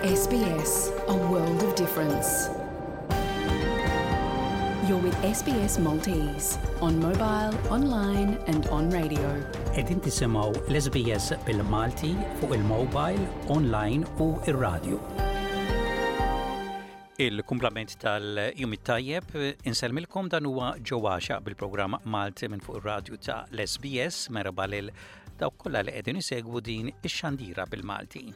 SBS, a world of difference. You're with SBS Maltese on mobile, online and on radio. Qegħdin tisimgħu l-SBS bil-Malti fuq il-mobile, online u ir-radio. Il-kumplament tal-jum it-tajjeb insellmilkom dan huwa ġewwaxa bil-programm Malti minn fuq ir-radju ta' l-SBS merba lil dawk kollha li qegħdin isegwu din ix-xandira bil-Malti.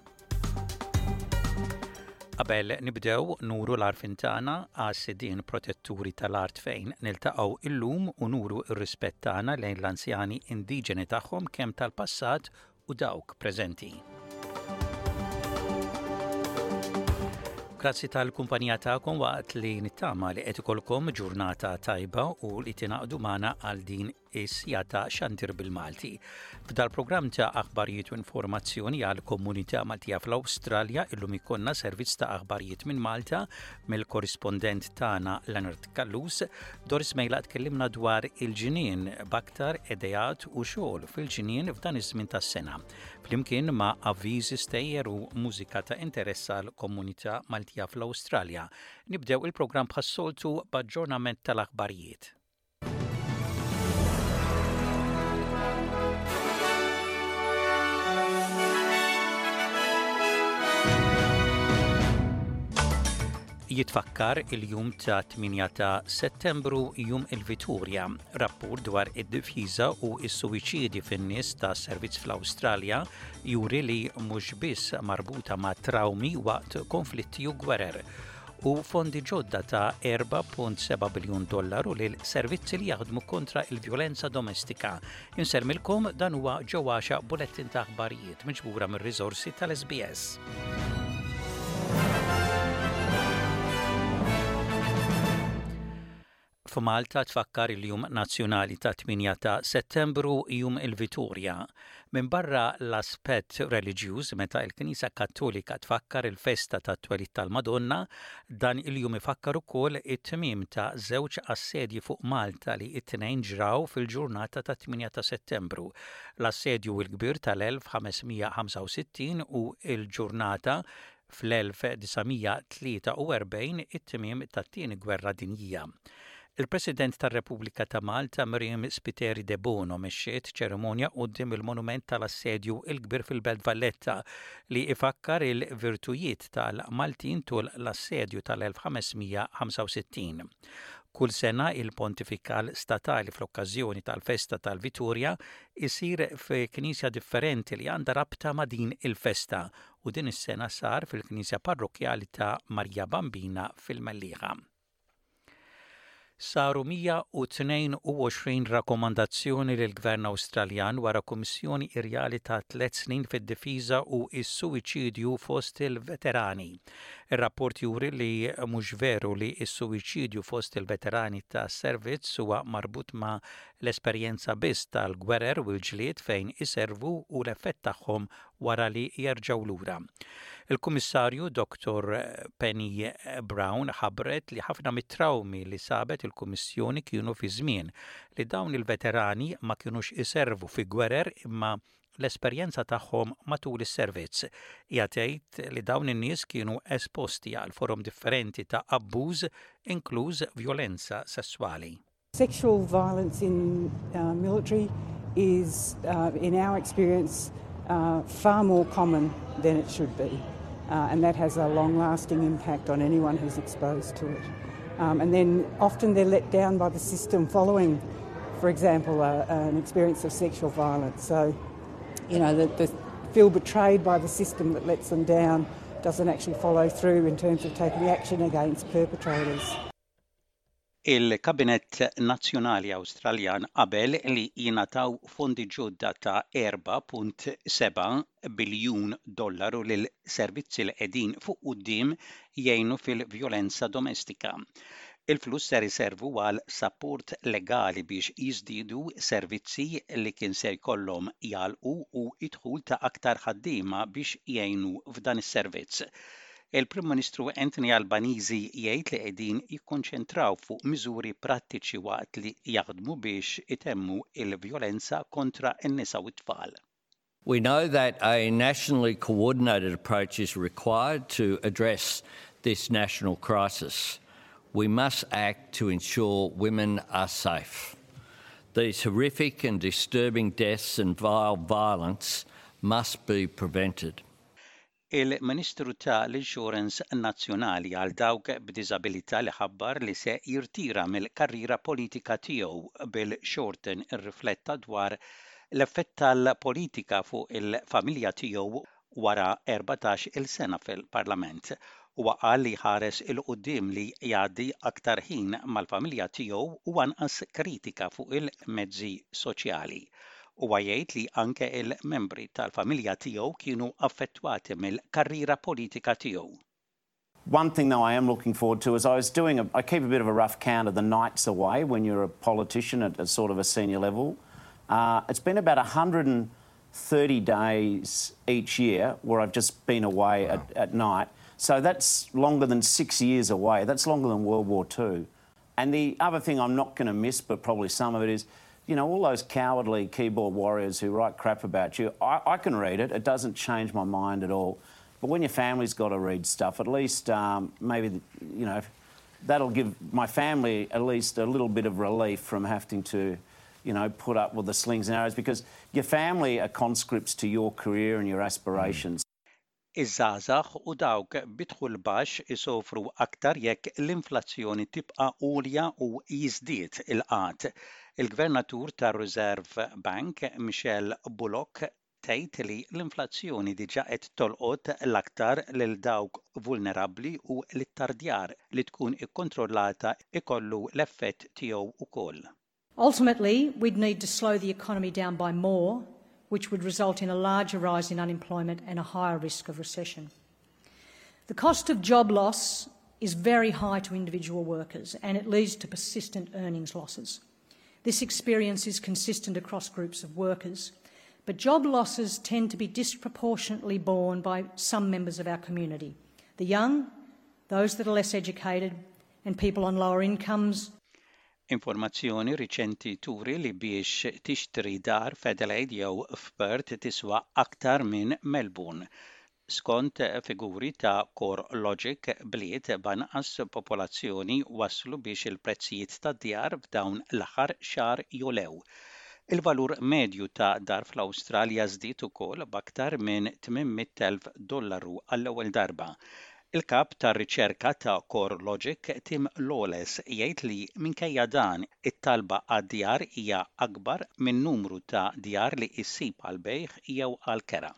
Qabel nibdew nuru l-għarfien tagħna għas-sidien protetturi tal-art fejn niltaqgħu illum u nuru r-rispett tagħna lejn l-anzjani indiġeni tagħhom kemm tal-passat u dawk preżenti. Grazzi tal-kumpanija tagħkom waqt li nittama li qed ikolkom ġurnata tajba u li tingħaqdu magħna għal din is-siegħa ta' xandir bil-Malti. F'dal-programm ta' aħbarijiet u informazzjoni għal komunità Maltija fl-Awstralja illum ikollna servizz ta' aħbarijiet minn Malta mill-korrispondent tagħna Leonard Callus. Doris Mejla tkellimna dwar il-ġnien b'aktar ideat u xogħol fil-ġnien f'dan iż-żmien tas-sena. Flimkien ma' avviżi stejjer u mużika ta' interess għal komunità Maltija fl-Awstralja. Nibdew il-programm bħas-soltu b'aġġornament tal-aħbarijiet. Jitfakkar il-jum ta' 8 ta' Settembru jum il-Viturja, rapport dwar id-difiża u s-suwiċidi fin-nies ta' servizz fl-Awstralja juri li mhux biss marbuta ma' trawmi waqt konflitti u gwerer u fondi ġodda ta' 4.7 biljun dollaru lil servizzi li jaħdmu kontra il-vjolenza domestika. Insellmilkom dan huwa ġewwaxa bulettin ta' aħbarijiet miġbura mir-riżorsi tal-SBS. F'Malta tfakkar il-Jum Nazzjonali ta' 8 ta' Settembru, Jum il-Vitorja. Minbarra l-aspett reliġjuż meta l-Knisja Kattolika tfakkar il-festa tat-twelid tal-Madonna, dan il-jum ifakkar ukoll it-tmiem ta' żewġ assedji fuq Malta li t-tnejn ġraw fil-ġurnata tat-8 ta' Settembru, l-Assedju l-Kbir tal-1565 u l-ġurnata Fl-1943, it-tmiem tat-Tieni Gwerra Dinjija. Il-President tar-Repubblika ta' Malta Myriam Spiteri Debono mexxiet ċerimonja quddiem il-Monument tal-Assedju l-Kbir fil-Belt Valletta li ifakkar il-virtujiet tal-Maltin tul l-Assedju tal-1565. Kull sena il-Pontifikal Statali fl-okkażjoni tal-festa tal-Vitorja jsir fi knisja differenti li għandha rabta ma' din il-festa u din is-sena sar fil-Knisja Parrokkjali ta' Marija Bambina fil-Mellieħa. Saru 122 rakkomandazzjoni lill-Gvern Awstraljan wara kummissjoni irjali ta' tliet snin fid-difiża u s-suwiċidju fost il-veterani. Ir-rapport juri li mhux veru li s-suwiċidju fost il-veterani tas-servizz huwa marbut ma' l-esperjenza biss tal-gwerer u l-ġlied fejn iservu u l-effett tagħhom wara li jerġgħu lura. Il-Kummissarju Dottor Penny Brown ħabbret li ħafna mit-trawmi li sabet il-Kummissjoni kienu fi żmien li dawn il-veterani ma kinux iservu fi gwerer imma l-esperjenza tagħhom matul is-servizz. Hija tgħid li dawn in-nies kienu esposti għal forom differenti ta' abbuż inkluż vjolenza sesswali. Sexual violence in uh, military is, uh, in our experience, uh, far more common than it should be. Uh, and that has a long lasting impact on anyone who's exposed to it. Um, and then often they're let down by the system following, for example, uh, an experience of sexual violence. So, you know, the, the feel betrayed by the system that lets them down doesn't actually follow through in terms of taking action against perpetrators. Il-Kabinett Nazzjonali Awstraljan qabel li jingħataw fondi ġodda ta' 4.7 biljun dollaru lil servizzi li qegħdin fuq quddiem jgħinu fil-vjolenza domestika. Il-flus ser iservu għal sapport legali biex jiżdiedu servizzi li kien se jkollhom jagħlqu u d-dħul ta' aktar ħaddiema biex jgħinu f'dan is-servizz. Il-Prim Ministru Anthony Albanese jgħid li qegħdin jikkonċentraw fuq miżuri prattiċi waqt li jaħdmu biex itemmu l-vjolenza kontra n-nisa u t-tfal. We know that a nationally coordinated approach is required to address this national crisis. We must act to ensure women are safe. These horrific and disturbing deaths and vile violence must be prevented. Il-Ministru ta' l-Insurance Nazzjonali għal dawk b'diżabilità li ħabbar li se jirtira mill-karriera politika tiegħu Bill Shorten irrifletta dwar l-effett tal-politika fuq il-familja tiegħu wara 14-il sena fil-Parlament. Huwa qal li jħares 'il quddiem li jgħaddi aktar ħin mal-familja tiegħu u anqas kritika fuq il-mezzi soċjali. Huwa jgħid li anke il-membri tal-familja tiegħu kienu affettwati mill-karriera politika tiegħu. One thing, though, I am looking forward to is I was doing a, I keep a bit of a rough count of the nights away when you're a politician at a sort of a senior level. Uh, it's been about 130 days each year where I've just been away wow. at, at night. So that's longer than six years away. That's longer than World War II. And the other thing I'm not going to miss, but probably some of it is, you know, all those cowardly keyboard warriors who write crap about you, I, I can read it. It doesn't change my mind at all. But when your family's got to read stuff, at least um, maybe, you know, that'll give my family at least a little bit of relief from having to, you know, put up with the slings and arrows because your family are conscripts to your career and your aspirations. Iż-żgħażagħ u dawk bi dħul baxx isofru aktar jekk l-inflazzjoni tibqa' għolja u jiżdied il-qgħad. Il-Gvernatur tar-Reserve Bank, Michelle Bullock, tgħid li l-inflazzjoni diġà qed tolqot l-aktar lil dawk vulnerabbli u l-ittardjar li tkun ikkontrollata ikollu l-effett tiegħu wkoll. Ultimately, we'd need to slow the economy down by more, which would result in a larger rise in unemployment and a higher risk of recession. The cost of job loss is very high to individual workers and it leads to persistent earnings losses. This experience is consistent across groups of workers, but job losses tend to be disproportionately borne by some members of our community the young, those that are less educated, and people on lower incomes. Informazzjoni riċenti turi li biex tixtri dar f'Adelaide jew f'Perth tiswa aktar minn Melbourne. Skont figuri ta' CoreLogic bliet b'anqas popolazzjoni waslu biex il-prezzijiet tad-djar f'dawn l-aħħar xahar jogħlew. Il-valur medju ta' dar fl-Awstralja żdied ukoll b'aktar minn 800,000 dollaru għall-ewwel darba. Il-kap tar-riċerka ta' CoreLogic Tim Lawless jgħid li minkejja dan it-talba għad-djar hija akbar minn numru ta' djar li issib għal bejgħ jew għal kera.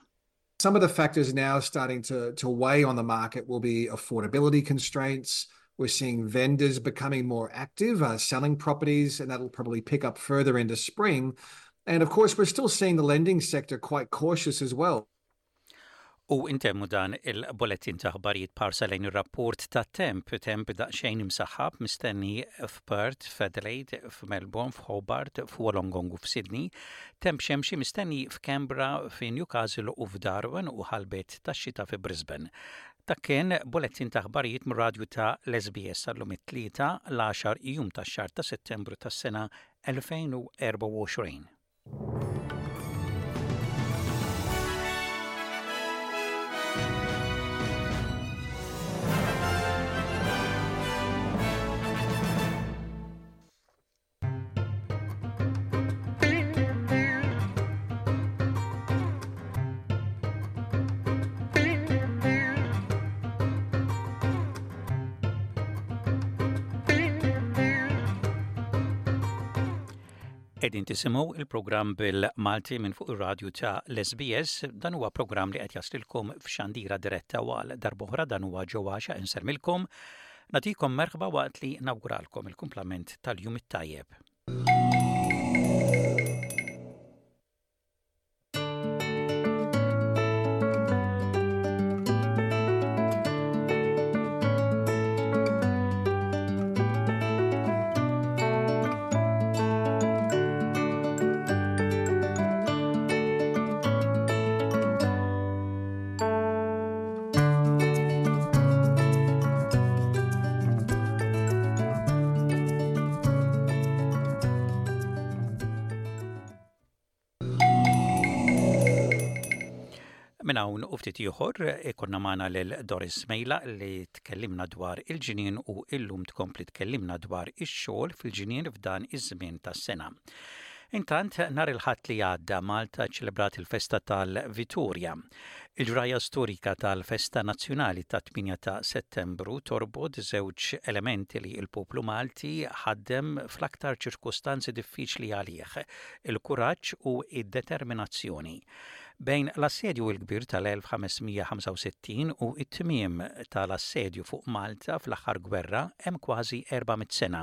Some of the factors now starting to, to weigh on the market will be affordability constraints. We're seeing vendors becoming more active, uh, selling properties, and that'll probably pick up further into spring. And of course, we're still seeing the lending sector quite cautious as well. U intemmu dan il-bulletin ta' aħbarijiet b'ħarsa lejn ir-rapport ta' temp, temp daqsxejn imsaħħab mistenni f'Perth, f'Adelaide, f'Melbourne, f'Hobart, f'Wollongong u f'Sydney, temp xemxi mistenni f'Canberra, f'Newcastle u f'Darwin u ħalbiet tax-xita fi Brisbane. Dak kien bulletin ta' aħbarijiet mir-radju ta' l-SBS għallum it-Tlieta l-10 jum tax-xahar ta' Settembru tas-sena 2024. Qegħdin tisimgħu il-programm bil-Malti minn fuq ir-radju ta' l-SBS. Dan huwa programm li qed jaslilkom f'xandira diretta u għal darb'oħra dan huwa Joe Axiaq insellmilkom. Nagħtikom merħba waqt li nawguralkom il-kumplament tal-jum it-tajjeb. Minn hawn u ftit ieħor ikollna magħna lil Doris Mejla li tkellimna dwar il-ġnien u illum tkompli tkellimna dwar ix-xogħol fil-ġnien f'dan iż-żmien tas-sena. Intant, nhar il-Ħadd li għadda Malta ċċelebrat il-festa tal-Vitorja. Il-ġrajja storika tal-festa nazzjonali tat-8 ta' Settembru torbot żewġ elementi li l-poplu Malti ħaddem fl-aktar ċirkustanzi diffiċli għalih, il-kuraġġ u d-determinazzjoni. Bejn l-Assedju l-Kbir tal-1565 u t-tmiem tal-assedju fuq Malta fl-aħħar gwerra hemm kważi 400 sena,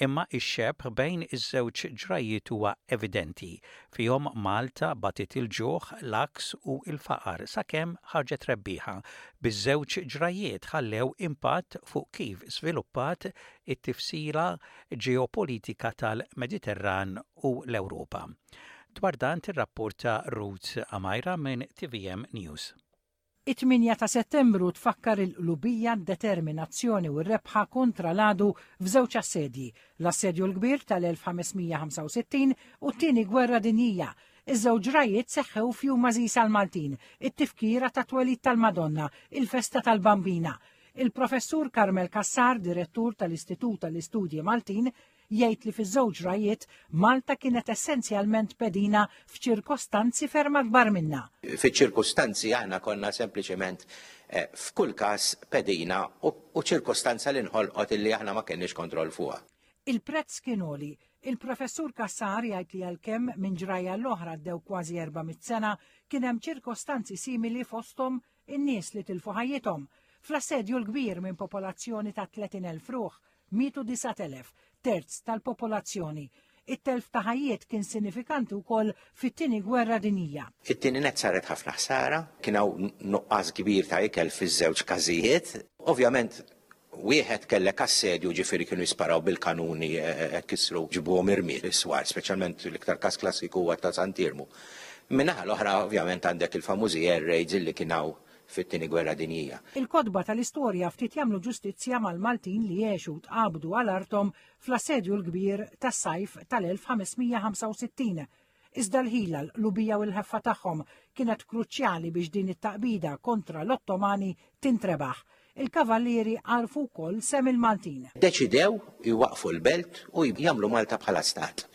imma x-xebh bejn iż-żewġ ġrajjiet huwa evidenti. Fihom Malta batiet il-ġuħ, l-għaks u l-faqar sakemm ħarġet rebbieħa. Biż-żewġ ġrajjiet ħallew impatt fuq kif żviluppat it-tifsira ġeopolitika tal-Mediterran u l-Ewropa. Dwar dan tirrapporta Ruth Amaira minn tvm News. It-tmienja ta' Settembru tfakkar il-qlubija, d-determinazzjoni u r-rebħa kontra l-għadu f'żewġ assedji, l-Assedju l-Kbir tal-1565 u t-Tieni Gwerra Dinjija. Iż-żewġ ġrajjiet seħħew f'jum għażiż għall-Maltin, it-tifkira tat-twelid tal-Madonna, il-festa tal-Bambina. Il-Professur Carmel Cassar, Direttur tal-Istitut għall-Istudji Maltin, Jgħid li fiż-żewġ ġrajjiet Malta kienet essenzjalment pedina f'ċirkostanzi ferm akbar minnha. Fiċ-ċirkustanzi aħna konna sempliċement eh, f'kull każ pedina u ċirkostanza li nħolqot illi aħna ma kenniex kontroll fuqha. Il-prezz kien għoli. Il-Professur Cassar jgħid li għalkemm minn ġrajja l-oħra għaddew kważi 400 sena, kien hemm ċirkostanzi simili fosthom in-nies li tilfu ħajjithom. Fl-assedju l-kbir minn popolazzjoni ta' 30,000 ruħ, Mietu 9,000, terz tal-popolazzjoni. It-telf ta' ħajjiet kien sinifikanti wkoll fit-Tieni Gwerra Dinjija. It-tieni nett saret ħafna ħsara, kien hawn nuqqas kbir ta' ikel fiż-żewġ każijiet. Ovvjament wieħed kellek assedju ġifieri kienu jisparaw bil-kanuni kissru ġibuhom irmied is-swar, speċjalment l-iktar każ klassiku huwa ta' Sant'Iermu. Min-naħa l-oħra ovvjament għandek il-famużi air raids illi kien hawn fit-Tieni Gwerra Dinjija. Il-kotba tal-istorja ftit jagħmlu ġustizzja mal-Maltin li għexu u tqabdu għal arthom fl-Assedju l-Kbir tas-sajf tal-1565. Iżda l-ħila, l-qlubija u l-ħeffa tagħhom kienet kruċjali biex din it-taqbida kontra l-Ottomani tintrebaħ. Il-Kavallieri għarfu wkoll sehem il-Maltin. Ddeċidew jwaqqfu l-belt u jagħmlu Malta bħala stat.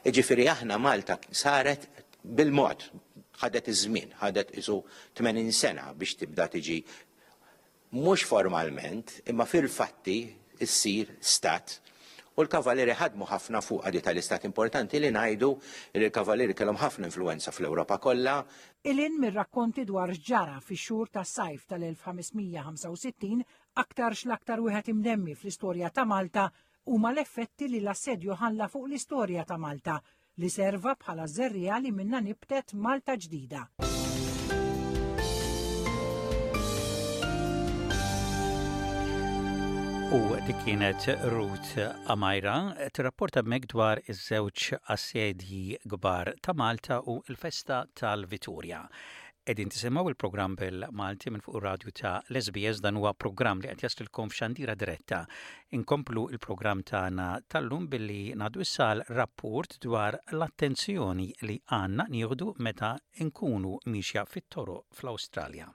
Jiġifieri aħna Malta saret bil-mod, ħadet iż-żmien, ħadet qisu 80 sena biex tibda tiġi mhux formalment, imma fil-fatti ssir stat. U l-Kavallieri ħadmu ħafna fuqha di tal-istat. Importanti li ngħidu li l-Kavallieri kellhom ħafna influwenza fl-Ewropa kollha. 'Il hinn mir-rakkonti dwar x'ġara fix-xhur tas-sajf tal-1565, aktarx l-aktar wieħed imdemmi fl-istorja ta' Malta huma l-effetti li l-assedju ħalla fuq l-istorja ta' Malta, li serva bħala żerriegħa li minnha nibtet Malta ġdida. U dik kienet Ruth Amajra tirrapporta hemmhekk dwar iż-żewġ assedji kbar ta' Malta u l-festa tal-Vitorja. Qegħdin tisimgħu il-programm bil-Malti minn fuq ir-radju ta' l-SBS dan huwa programm li qed jaslilkom f'xandira diretta. Inkomplu il-programm tagħna tal-lum billi ngħaddu issa għal rapport dwar l-attenzjoni li għandna nieħdu meta nkunu miexja fit-toroq fl-Awstralja.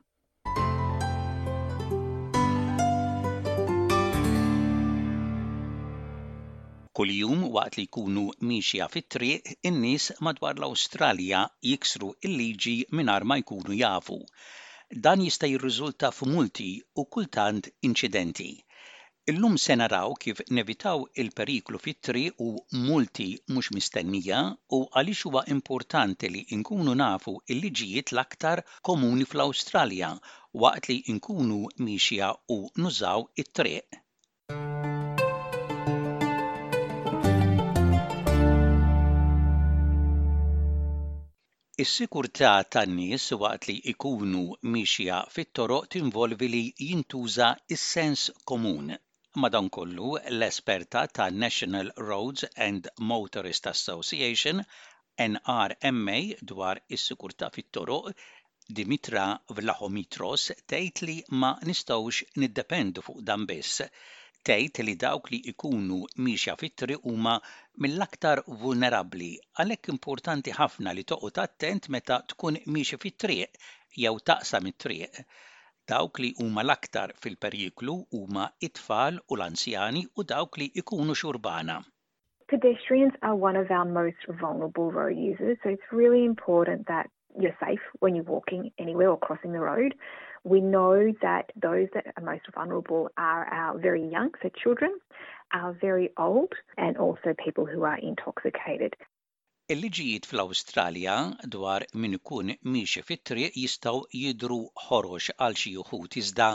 Kuljum waqt li jkunu miexja fit-triq, in-nies madwar l-Awstralja jiksru l-liġi mingħajr ma jkunu jafu. Dan jista' jirriżulta f'multi u kultant inċidenti. Illum se naraw kif nevitaw il-periklu fit-triq u multi mhux mistennija u għaliex huwa importanti li nkunu nafu l-liġijiet l-aktar komuni fl-Awstralja waqt li nkunu miexja u nużaw it-triq. Is-sigurtà tan-nies waqt li jkunu miexja fit-toroq tinvolvi li jintuża s-sens komun. Madankollu, l-esperta tan-National Roads and Motorist Association, NRMA, dwar is-sigurtà fit-toroq, Dimitra Vlahomitros tgħid li ma nistgħux niddependu fuq dan biss. Tgħid li dawk li jkunu miexja fit-triq huma mill-aktar vulnerabbli, għalhekk importanti ħafna li toqgħod attent meta tkun miexi fit-triq. jew taqsam it-triq. Dawk li huma l-aktar fil-periklu huma t-tfal u l-anzjani u dawk li jkunu xurbana. Pedestrians are one of our most vulnerable road users, so it's really important that you're safe when you're walking anywhere or crossing the road. We know that those that are most vulnerable are our very young, so children, our very old, and also people who are intoxicated. Il-liġijiet fl-Awstralja dwar min ikun miexi fit-triq jistgħu jidhru ħorox għal xi uħud iżda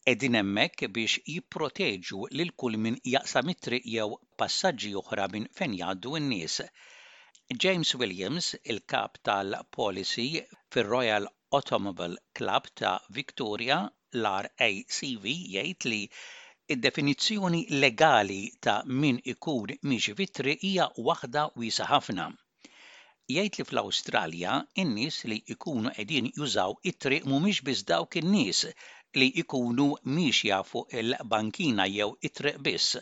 qegħdin hemmhekk biex jipproteġu lil kull min jaqsam it-triq jew passaġġi oħra minn fejn jgħaddu n-nies. James Williams, il-kap tal-policy fir-Royal Automobile Club ta' Victoria, l-RACV, jgħid li d-definizzjoni legali ta' min ikun miexi fit-triq hija waħda wiesgħa ħafna. Jgħid li fl-Awstralja n-nies li jkunu qegħdin jużaw it-triq mhumiex biss dawk in-nies li jkunu miexja fuq il-bankina jew it-triq biss.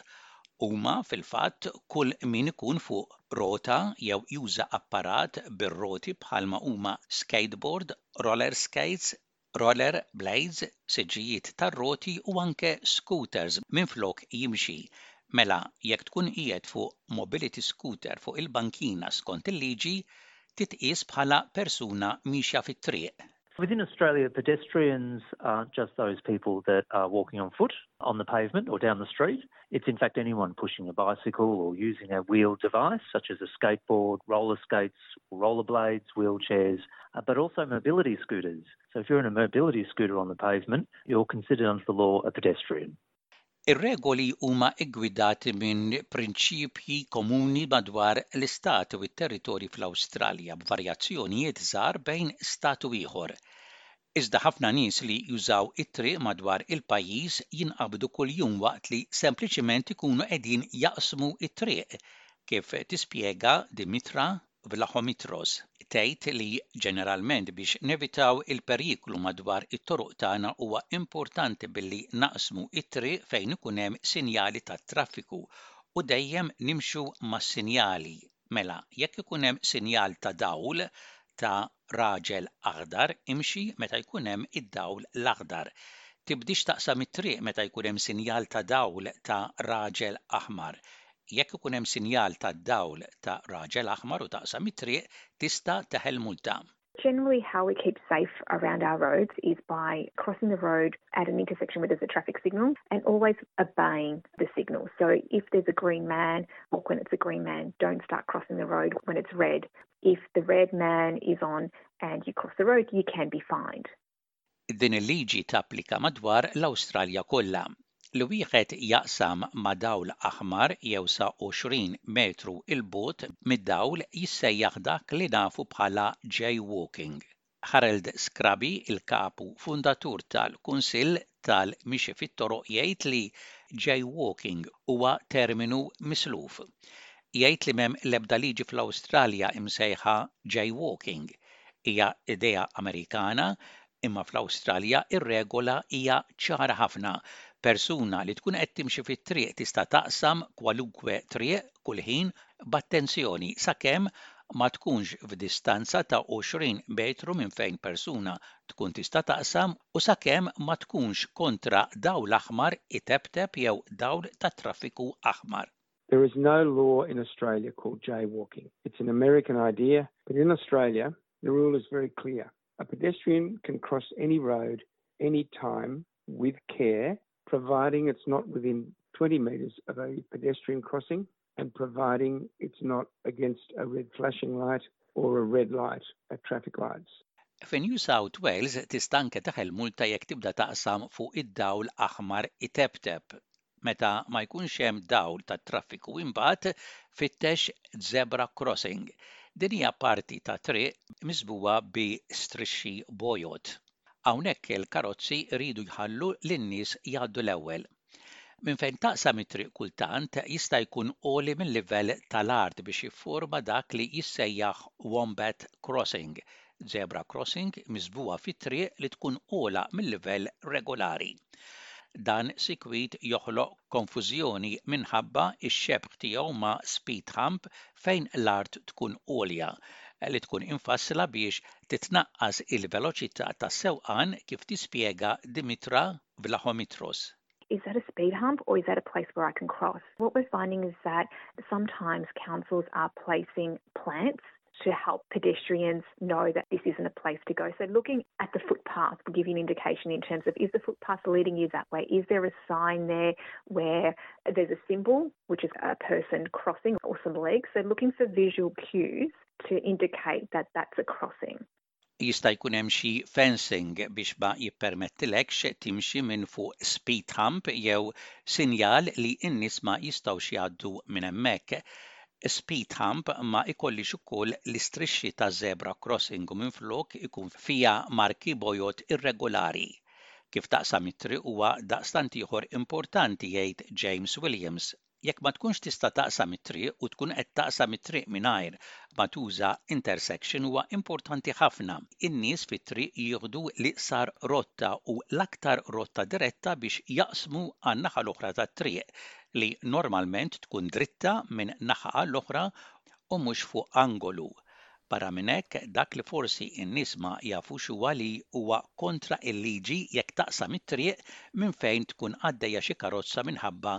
Huma fil-fatt kull min ikun fuq rota jew juża apparat bir-roti bħalma huma skateboard, roller skates, roller blades, siġġijiet tar-roti u anke scooters minflok jimxi. Mela, jekk tkun qiegħed fuq mobility scooter fuq il-bankina skont il-liġi, titqies bħala persuna miexja fit-triq. Within Australia, pedestrians aren't just those people that are walking on foot on the pavement or down the street. It's in fact anyone pushing a bicycle or using a wheeled device such as a skateboard, roller skates, roller blades, wheelchairs, uh, but also mobility scooters. So if you're in a mobility scooter on the pavement, you're considered under the law a pedestrian. Ir-regoli huma ggwidati minn prinċipji komuni madwar l-istati u t-territorji fl-Awstralja, b'varjazzjonijiet żgħar bejn stat u ieħor. Iżda ħafna nies li jużaw it-triq madwar il-pajjiż jinqabdu kuljum waqt li sempliċiment ikunu qegħdin jaqsmu t-triq, kif tispjega Dimitra Vlahomitros tgħid li ġeneralment biex nevitaw il-periklu madwar it-toroq tagħna huwa importanti billi naqsmu t-triq fejn ikun hemm sinjali tat-traffiku u dejjem nimxu mas-sinjali. Mela, jekk ikun hemm sinjal ta' dawl ta' raġel aħdar imxi meta jkun hemm id-dawl l-aħdar. Tibdiex taqsam it-triq meta jkun hemm sinjal ta' dawl ta' raġel aħmar. Jekk ikun hemm sinjal tad-dawl ta' raġel aħmar u taqsam it-triq, tista' teħel multa. Generally how we keep safe around our roads is by crossing the road at an intersection where there's a traffic signal and always obeying the signal. So if there's a green man, walk when it's a green man, don't start crossing the road when it's red. If the red man is on and you cross the road, you can be fined. Din il-liġi tapplika madwar l-Awstralja kollha. Li wieħed jaqsam ma' dawl aħmar jew sa 20 metru 'l bogħod mid-dawl jissejjaħ dak li nafu bħala jaywalking. Harold Scrubby, il-kap u fundatur tal-Kunsill tal-Mixi fit-Toroq jgħid li jaywalking huwa terminu misluf. Jgħid li m'hemm l-ebda liġi fl-Awstralja imsejħa jaywalking. Hija idea Amerikana, imma fl-Awstralja r-regola hija ċara ħafna, persuna li tkun qed timxi fit-triq tista' taqsam kwalunkwe triq kull ħin b'attenzjoni sakemm ma tkunx f'distanza ta' 20 metru minn fejn persuna tkun tista' taqsam u sakemm ma tkunx kontra dawl aħmar iteptep jew dawl tat-traffiku aħmar. There is no law in Australia called jaywalking. It's an American idea, but in Australia, the rule is very clear. A pedestrian can cross any road, any time, with care, providing it's not within 20 metres of a pedestrian crossing and providing it's not against a red flashing light or a red light at traffic lights. Fi New South Wales tista' anke teħel multa jekk tibda taqsam fuq id-dawl aħmar iteptep. Meta ma jkunx hemm dawl tat-traffiku imbagħad fittex zebra crossing. Din hija parti ta' triq miżbugħa bi strixxi bojod. Hawnhekk il-karozzi jridu jħallu lin-nies jgħaddu l-ewwel. Minn fejn taqsam it-triq kultant jista' jkun għoli mil-livell tal-art biex jifforma dak li jissejjaħ wombat crossing, zebra crossing miżbugħa fit-triq li tkun ogħla mil-livell regolari. Dan sikwit joħloq konfużjoni minħabba x-xebh tiegħu ma' speed hump fejn l-art tkun għolja. li tkun imfassla biex titnaqqas il-veloċità tas-sewqan kif tispjega Dimitra Vlahomitros. Is that a speed hump or is that a place where I can cross? What we're finding is that sometimes councils are placing plants to help pedestrians know that this isn't a place to go. So looking at the footpath will give you an indication in terms of is the footpath leading you that way? Is there a sign there where there's a symbol, which is a person crossing or some legs? So looking for visual cues to indicate that that's a crossing. Jista' jkun hemm xi fencing biex ma jippermettilekx timxi minn fuq speed hump jew sinjal li n-nies ma jistgħux jgħaddu minn hemmhekk. Speed hump ma jkollhiex ukoll l-istrixxi ta' zebra crossing u minflok ikun fiha marki bojod irregolari. Kif taqsam it-triq huwa daqstant ieħor importanti, jgħid James Williams. Jekk ma tkunx tista' taqsam it-triq u tkun qed taqsam it-triq mingħajr ma tuża intersection huwa importanti ħafna in-nies fit-triq jieħdu l-iqsar rotta u l-aktar rotta diretta biex jaqsmu għan-naħa l-oħra tat-triq li normalment tkun dritta minn naħa għall-oħra u mhux fuq angolu. Barra minn hekk, dak li forsi n-nies ma jafux huwa li huwa kontra l-liġi jekk taqsam it-triq minn fejn tkun għaddejja xi karozza minħabba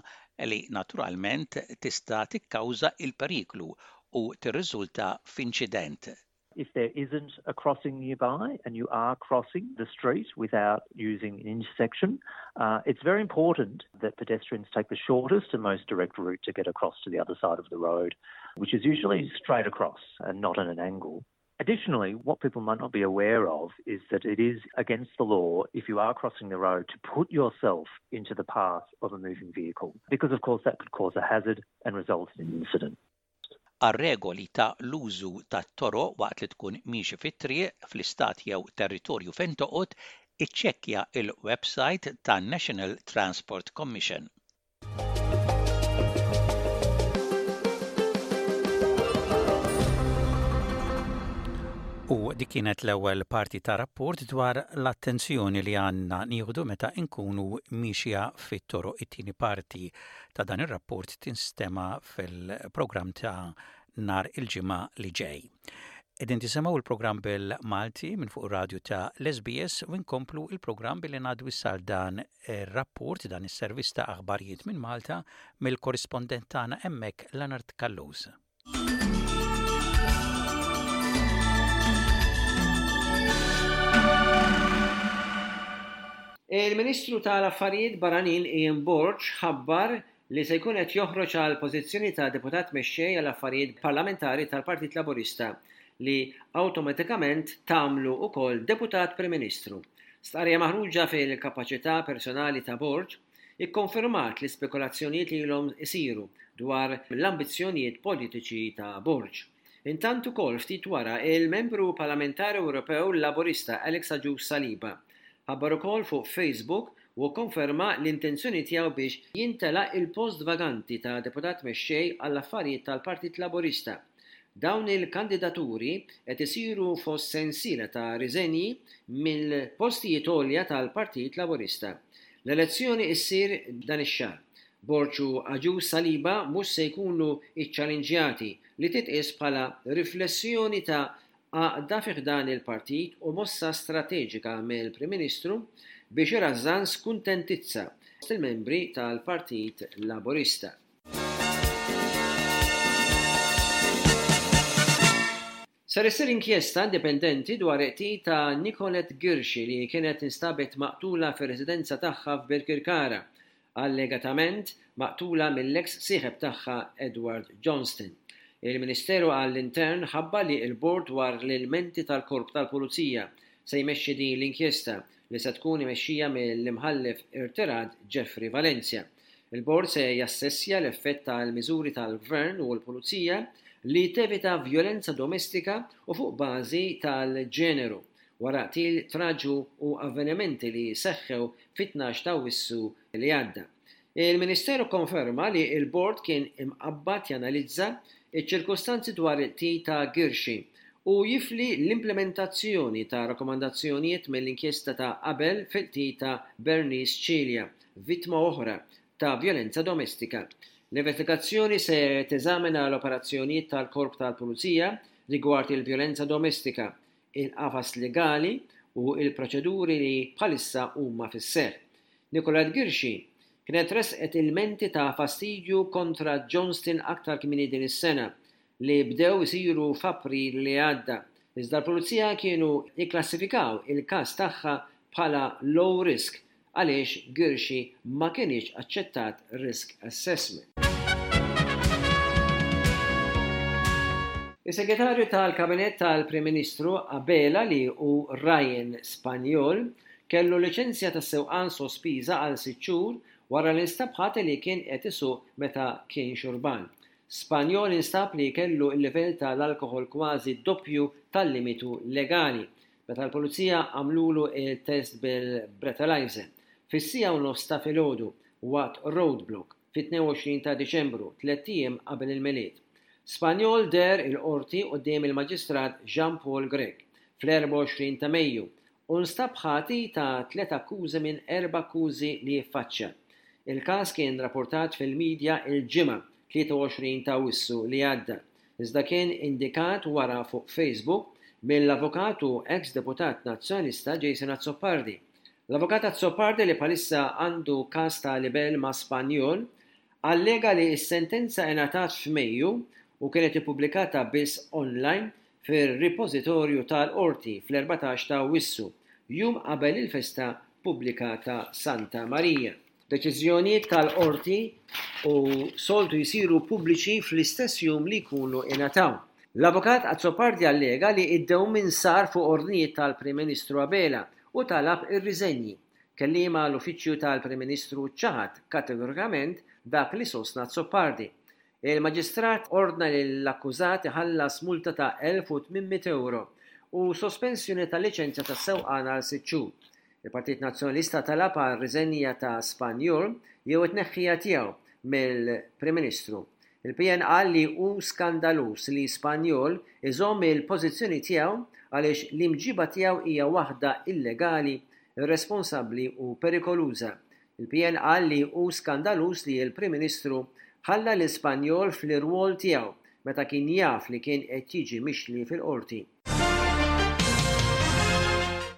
li naturalment tista' tikkawża l-periklu u tirriżulta f'inċident. If there isn't a crossing nearby and you are crossing the street without using an intersection, uh, it's very important that pedestrians take the shortest and most direct route to get across to the other side of the road, which is usually straight across and not at an angle. Additionally, what people might not be aware of is that it is against the law if you are crossing the road to put yourself into the path of a moving vehicle, because of course that could cause a hazard and result in an incident. Għar-regoli ta' l-użu tat-toroq waqt li tkun miexi fit-triq fl-istat jew territorju fejn toqgħod, iċċekkja l-websajt tan-National Transport Commission. U dik kienet l-ewwel parti ta' rapport dwar l-attenzjoni li għandna nieħdu meta nkunu miexja fit-toroq. It-tieni parti ta' dan ir-rapport tinstema' fil-programm ta' nhar il-Ġimgħa li ġej. Qegħdin tisimgħu l-programm bil-Malti minn fuq ir-radju ta' l-SBS u nkomplu l-programm billi ngħaddu issa għal dan ir-rapport, dan is-servizz ta' aħbarijiet minn Malta mill-korrispondent tagħna hemmhekk Leonard Callus. Il-Ministru tal-Affarijiet Barranin Ian Borg ħabbar li se jkun qed joħroġ għall-pożizzjoni ta' Deputat Mexxej għall-Affarijiet Parlamentari tal-Partit Laburista li awtomatikament tagħmlu wkoll Deputat Prim Ministru. Stqarrija maħruġa fil-kapaċità personali ta' Borg ikkonfermat l-ispekulazzjonijiet li ilhom isiru dwar l-ambizzjonijiet politiċi ta' Borg. Intant ukoll ftit wara il-Membru Parlamentari Ewropew Laburista Alex Agius Saliba ħabbar ukoll fuq Facebook u kkonferma l-intenzjoni tiegħu biex jimtela il-post vaganti ta' Deputat Mexxej għall-Affarijiet tal-Partit Laburista. Dawn il-kandidaturi qed isiru fost sensiela ta' riżenji mill-postijiet għolja tal-Partit Laburista. L-elezzjoni ssir dan ix-xahar. Borg u Agius Saliba mhux se jkunu ċċalinġjati li titqies bħala riflessjoni ta' għaqda fi ħdan il-partit u mossa strateġika mill-Prim Ministru biex irażżan skuntentizza fost il-membri tal-Partit Laburista. Ser issir inkjesta indipendenti dwar il-qtil ta' Nicolette Ghirxi li kienet instabet maqtula fir-residenza tagħha f'Birkirkara, allegatament maqtula mill-eks sieħeb tagħha Edward Johnston. Il-Ministeru għall-Intern ħabbar li l-Bord dwar l-Ilmenti tal-Korp tal-Pulizija se jmexxi din l-inkjesta li se tkun imexxija mill-Imħallef irtirat Jeffrey Valenzia. Il-Bord se jassessja l-effett tal-miżuri tal-Gvern u l-Pulizija li tevita vjolenza domestika u fuq bażi tal-ġeneru, wara qtil traġu u avvenimenti li seħħew fit-tnax t'Awwissu li għadda. Il-Ministeru kkonferma li l-Bord kien imqabbad janalizza ċ-ċirkustanzi dwar il-qtil ta' Ghirxi u jifli l-implimentazzjoni ta' rakkomandazzjonijiet mill-inkjesta ta' qabel fil-qtil ta' Bernice Cilia, vittma oħra ta' vjolenza domestika. L-investigazzjoni se teżamina l-operazzjonijiet tal-Korp tal-Pulizija rigward il-vjolenza domestika, il-qafas legali u l-proċeduri li bħalissa huma fis-seħħ. Nicolette Ghirxi kienet ressqet ilmenti ta' fastidju kontra Johnston aktar kmieni din is-sena, li bdew isiru f'April li għadda, iżda l-Pulizija kienu kklassifikaw il-każ tagħha bħala low risk għaliex Ghirxi ma kinitx aċċettat risk assessment. Is-Segretarju tal-Kabinett tal-Prim Ministru Abela li hu Ryan Spagnol kellu liċenzja tas-sewqan sospiża għal sitt xhur wara li nstab ħati li kien qed isuq meta kien xurban. Spagnol instab li kellu l-livell ta' l-alkoħol kważi d-doppju tal-limitu legali, meta l-Pulizija għamlulu t-test bil-breathalyzer, fis-siegħa u nofs ta' filgħodu, waqt roadblock, fit-22 ta' Diċembru, tlett ijiem qabel il-Milied. Spagnol deher il-Qorti quddiem il-Maġistrat Jean Paul Grech, fl-24 ta' Mejju, u nstab ħati ta' tliet akkużi minn erba' akkużi li ffaċċja. Il-każ kien rappurtat fil-midja il-Ġimgħa, 23 ta' Awwissu li għadda, iżda kien indikat wara fuq Facebook mill-avukat u eks deputat Nazzjonalista Jason Azzopardi. L-avukat Azzopardi li bħalissa għandu każ ta' libell ma' Spagnol, allega li s-sentenza ingħatat f'Mejju u kienet ippubblikata biss online fir-ripożitorju tal-Qorti fl-14 ta' Awwissu, jum qabel il-festa pubblika ta' Santa Marija. Deċiżjonijiet tal-Qorti u soltu jsiru pubbliċi fl-istess jum li jkunu ingħataw. L-Avukat Azzopardi allega li d-dewmien sar fuq ordnijiet tal-Prim Ministru Abela u talab ir-riżenji. Kelliem għall-Uffiċċju tal-Prim Ministru ċaħad kategorikament dak li sostna Azzopardi. Il-Maġistrat ordna lill-akkużat iħallas multa ta' 1,800 ewro u sospensjoni tal-liċenzja tas-sewqan għal sitt xhur. Il-Partit Nazzjonalista talab għar-riżenja ta' Spagnol jew it-tneħħija tiegħu mill-Prim Ministru. Il-PN qal li hu skandaluż li Spagnol iżomm il-pożizzjoni tiegħu għaliex l-imġiba tiegħu hija waħda illegali, irresponsabbli u perikoluża. Il-PN qal li hu skandaluż li l-Prim Ministru ħalla lil Spagnol fl-irwol tiegħu meta kien jaf li kien qed jiġi mixli fil-Qorti.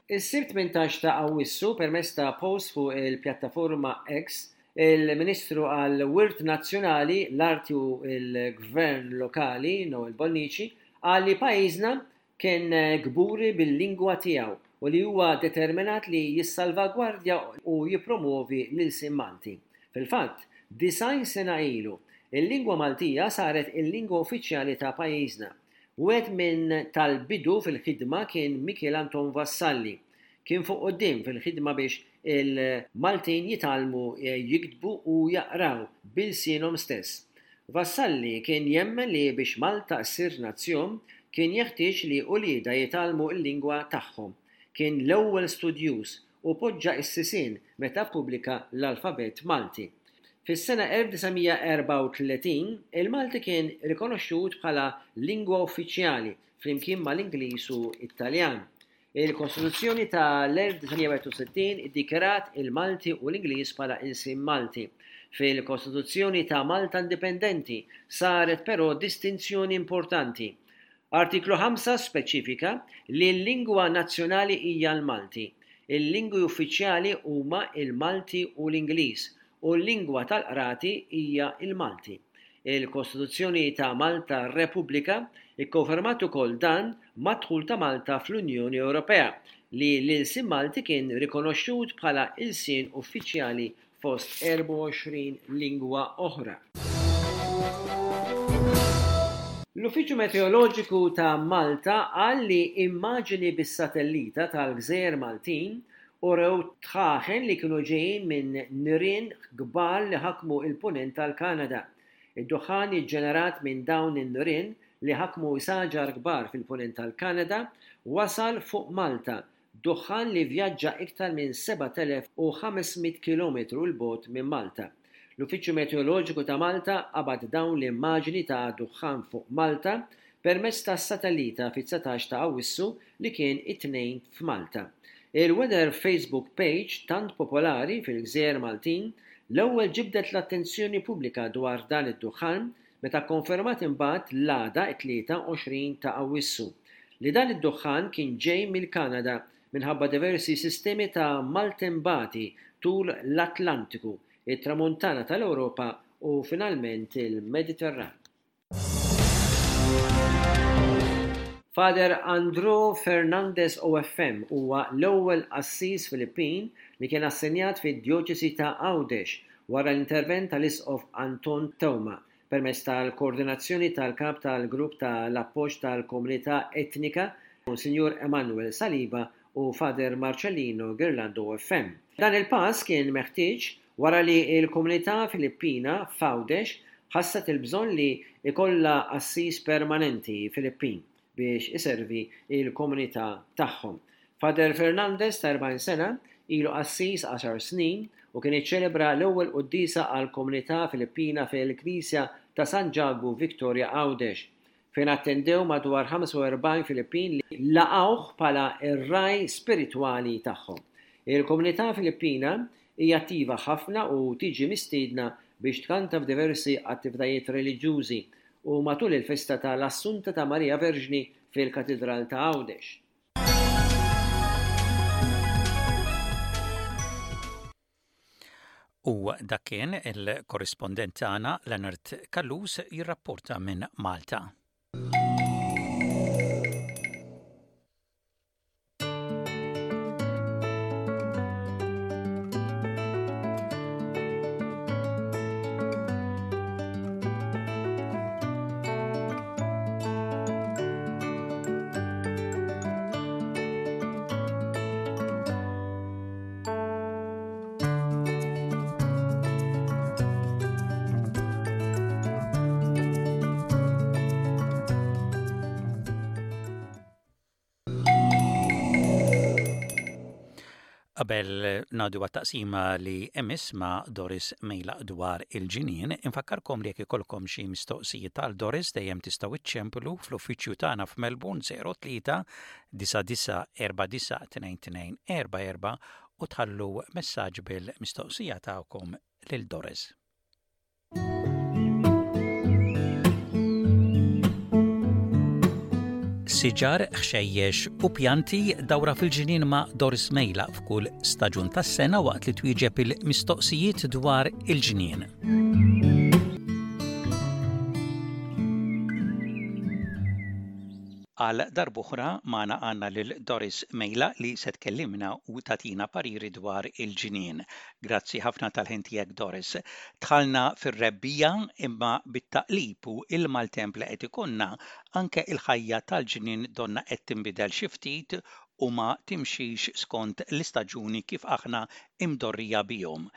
Is-Sibt 18 ta' Awwissu, permezz ta' post fuq il-pjattaforma X, il-Ministru għall-Wirt Nazzjonali, l-Arti u l-Gvern Lokali, Noel Bonnici, qal li pajjiżna Kien kburi bil-lingwa tiegħu u li huwa determinat li jissalvagwardja u jippromwovi l-ilsien Malti. Fil-fatt, 90 sena ilu, il-lingwa Maltija saret il-lingwa uffiċjali ta' pajjiżna. Wieħed minn tal-bidu fil-ħidma kien Mikiel Anton Vassalli. Kien fuq quddiem fil-ħidma biex il-Maltin jitgħallmu jiktbu u jaqraw bi lsienhom stess. Vassalli kien jemmen li biex Malta ssir nazzjon kien jeħtieġ li uliedha jitgħallmu l-lingwa tagħhom. Kien l-ewwel studjuż u poġġa s-sisien meta ppubblika l-alfabett Malti. Fis-sena 1934 il-Malti kien rikonoxxut bħala lingwa uffiċjali flimkien mal-Ingliż u t-Taljan. Il-Kostituzzjoni ta' l-1961 iddikjarat il-Malti u l-Ingliż bħala ilsien Malti. Fil-Kostituzzjoni ta' Malta Indipendenti saret però distinzjoni importanti. Artiklu 5 speċifika li l-lingwa nazzjonali hija l-Malti. Il-lingwi uffiċjali huma l-Malti u l-Ingliż u l-lingwa tal-qrati hija l-Malti. Il-Kostituzzjoni ta' Malta Repubblika kkonfermat ukoll dan mad-dħul ta' Malta fl-Unjoni Ewropea, li l-ilsien Malti kien rikonoxxut bħala ilsien uffiċjali fost 24 lingwa oħra. L-Uffiċċju Meteoloġiku ta' Malta qal li immaġini bis-satellita tal-gżejjer Maltin urew dħaħen li kienu ġejjin minn nirien kbar li ħakmu l-Punent tal-Kanada. Id-duħħan iġġenerat minn dawn in-nirien li ħakmu saġar kbar fil-Punent tal-Kanada wasal fuq Malta, duħħan li vvjaġġa iktar minn 7,500 kilometru 'l bogħod minn Malta. L-Uffiċċju Meteoloġiku ta' Malta qabad dawn l-immaġini ta' duħħan fuq Malta permezz ta' satellita fit-19 ta' Awwissu li kien it-Tnejn f'Malta. Il-Weather Facebook page tant popolari fil-gżejjer Maltin l-ewwel ġibdet l-attenzjoni pubblika dwar dan id-duħħan meta kkonfermat imbagħad l-għada t-23 ta' Awwissu li dan id-duħħan kien ġej mill-Kanada minħabba diversi sistemi ta' maltembati tul l-Atlantiku, it-Tramuntana tal-Ewropa u finalment il-Mediterran. Father Andrew Fernandez OFM huwa l-ewwel qassis Filippin li kien assenjat fid-Djoċesi ta' Għawdex wara l-intervent tal-Isqof Anton Teuma permezz tal-koordinazzjoni tal-Kap tal-Grupp ta' l-Appoġġ tal-Komunità Etnika, Monsinjur Emmanuel Saliba u Father Marcellino Ghirlando OFM. Dan il-pass kien meħtieġ wara li l-komunità Filippina f'Għawdex ħasset il-bżonn li jkollha qassis permanenti Filippin biex iservi l-komunità tagħhom. Father Fernandez ta' 40 sena ilu qassis għaxar snin u kien iċċelebra l-ewwel quddiesa għall-komunità Filippina fil-Knisja ta' San Ġakbu Victoria Għawdex, fejn attendew madwar 45 Filippin li laqgħuh bħala r-ragħaj spiritwali tagħhom. Il-komunità Filippina hija attiva ħafna u tiġi mistiedna biex tkanta f'diversi attivitajiet reliġjużi u matul il-festa ta' l-Assunta ta' Marija Verġni fil-Katidral ta' Għawdex. U dak kien il-korrispondent tagħna Leonard Callus jirrapporta minn Malta. Qabel ngħaddu għat-taqsima li emiss ma' Doris Mejlaq dwar il-ġinien, infakkarkom li jekk ikollkom xi mistoqsijiet għal Doris dejjem tistgħu iċċemplu fl-uffiċċju tagħna f'Melbourne 03 9949 2244 u tħallu messaġġ bil-mistoqsija tagħkom lil Doris. Siġar, ħxejjex u pjanti dawra fil-ġnien ma' Doris Mejla f'kull staġun tas-sena waqt li twieġeb il-mistoqsijiet dwar il-ġnien. Għal darb'oħra magħna għandna lil Doris Mejla li se tkellimna u tagħtina pariri dwar il-ġnien. Grazzi ħafna tal-ħin tiegħek Doris. Dħalna fir-rebbiegħa imma bit-taqlib u il-maltemp li qed ikollna, anke il-ħajja tal-ġnien donnha qed tinbidel xi ftit u ma timxix skont l-istaġuni kif aħna imdorrija bihom.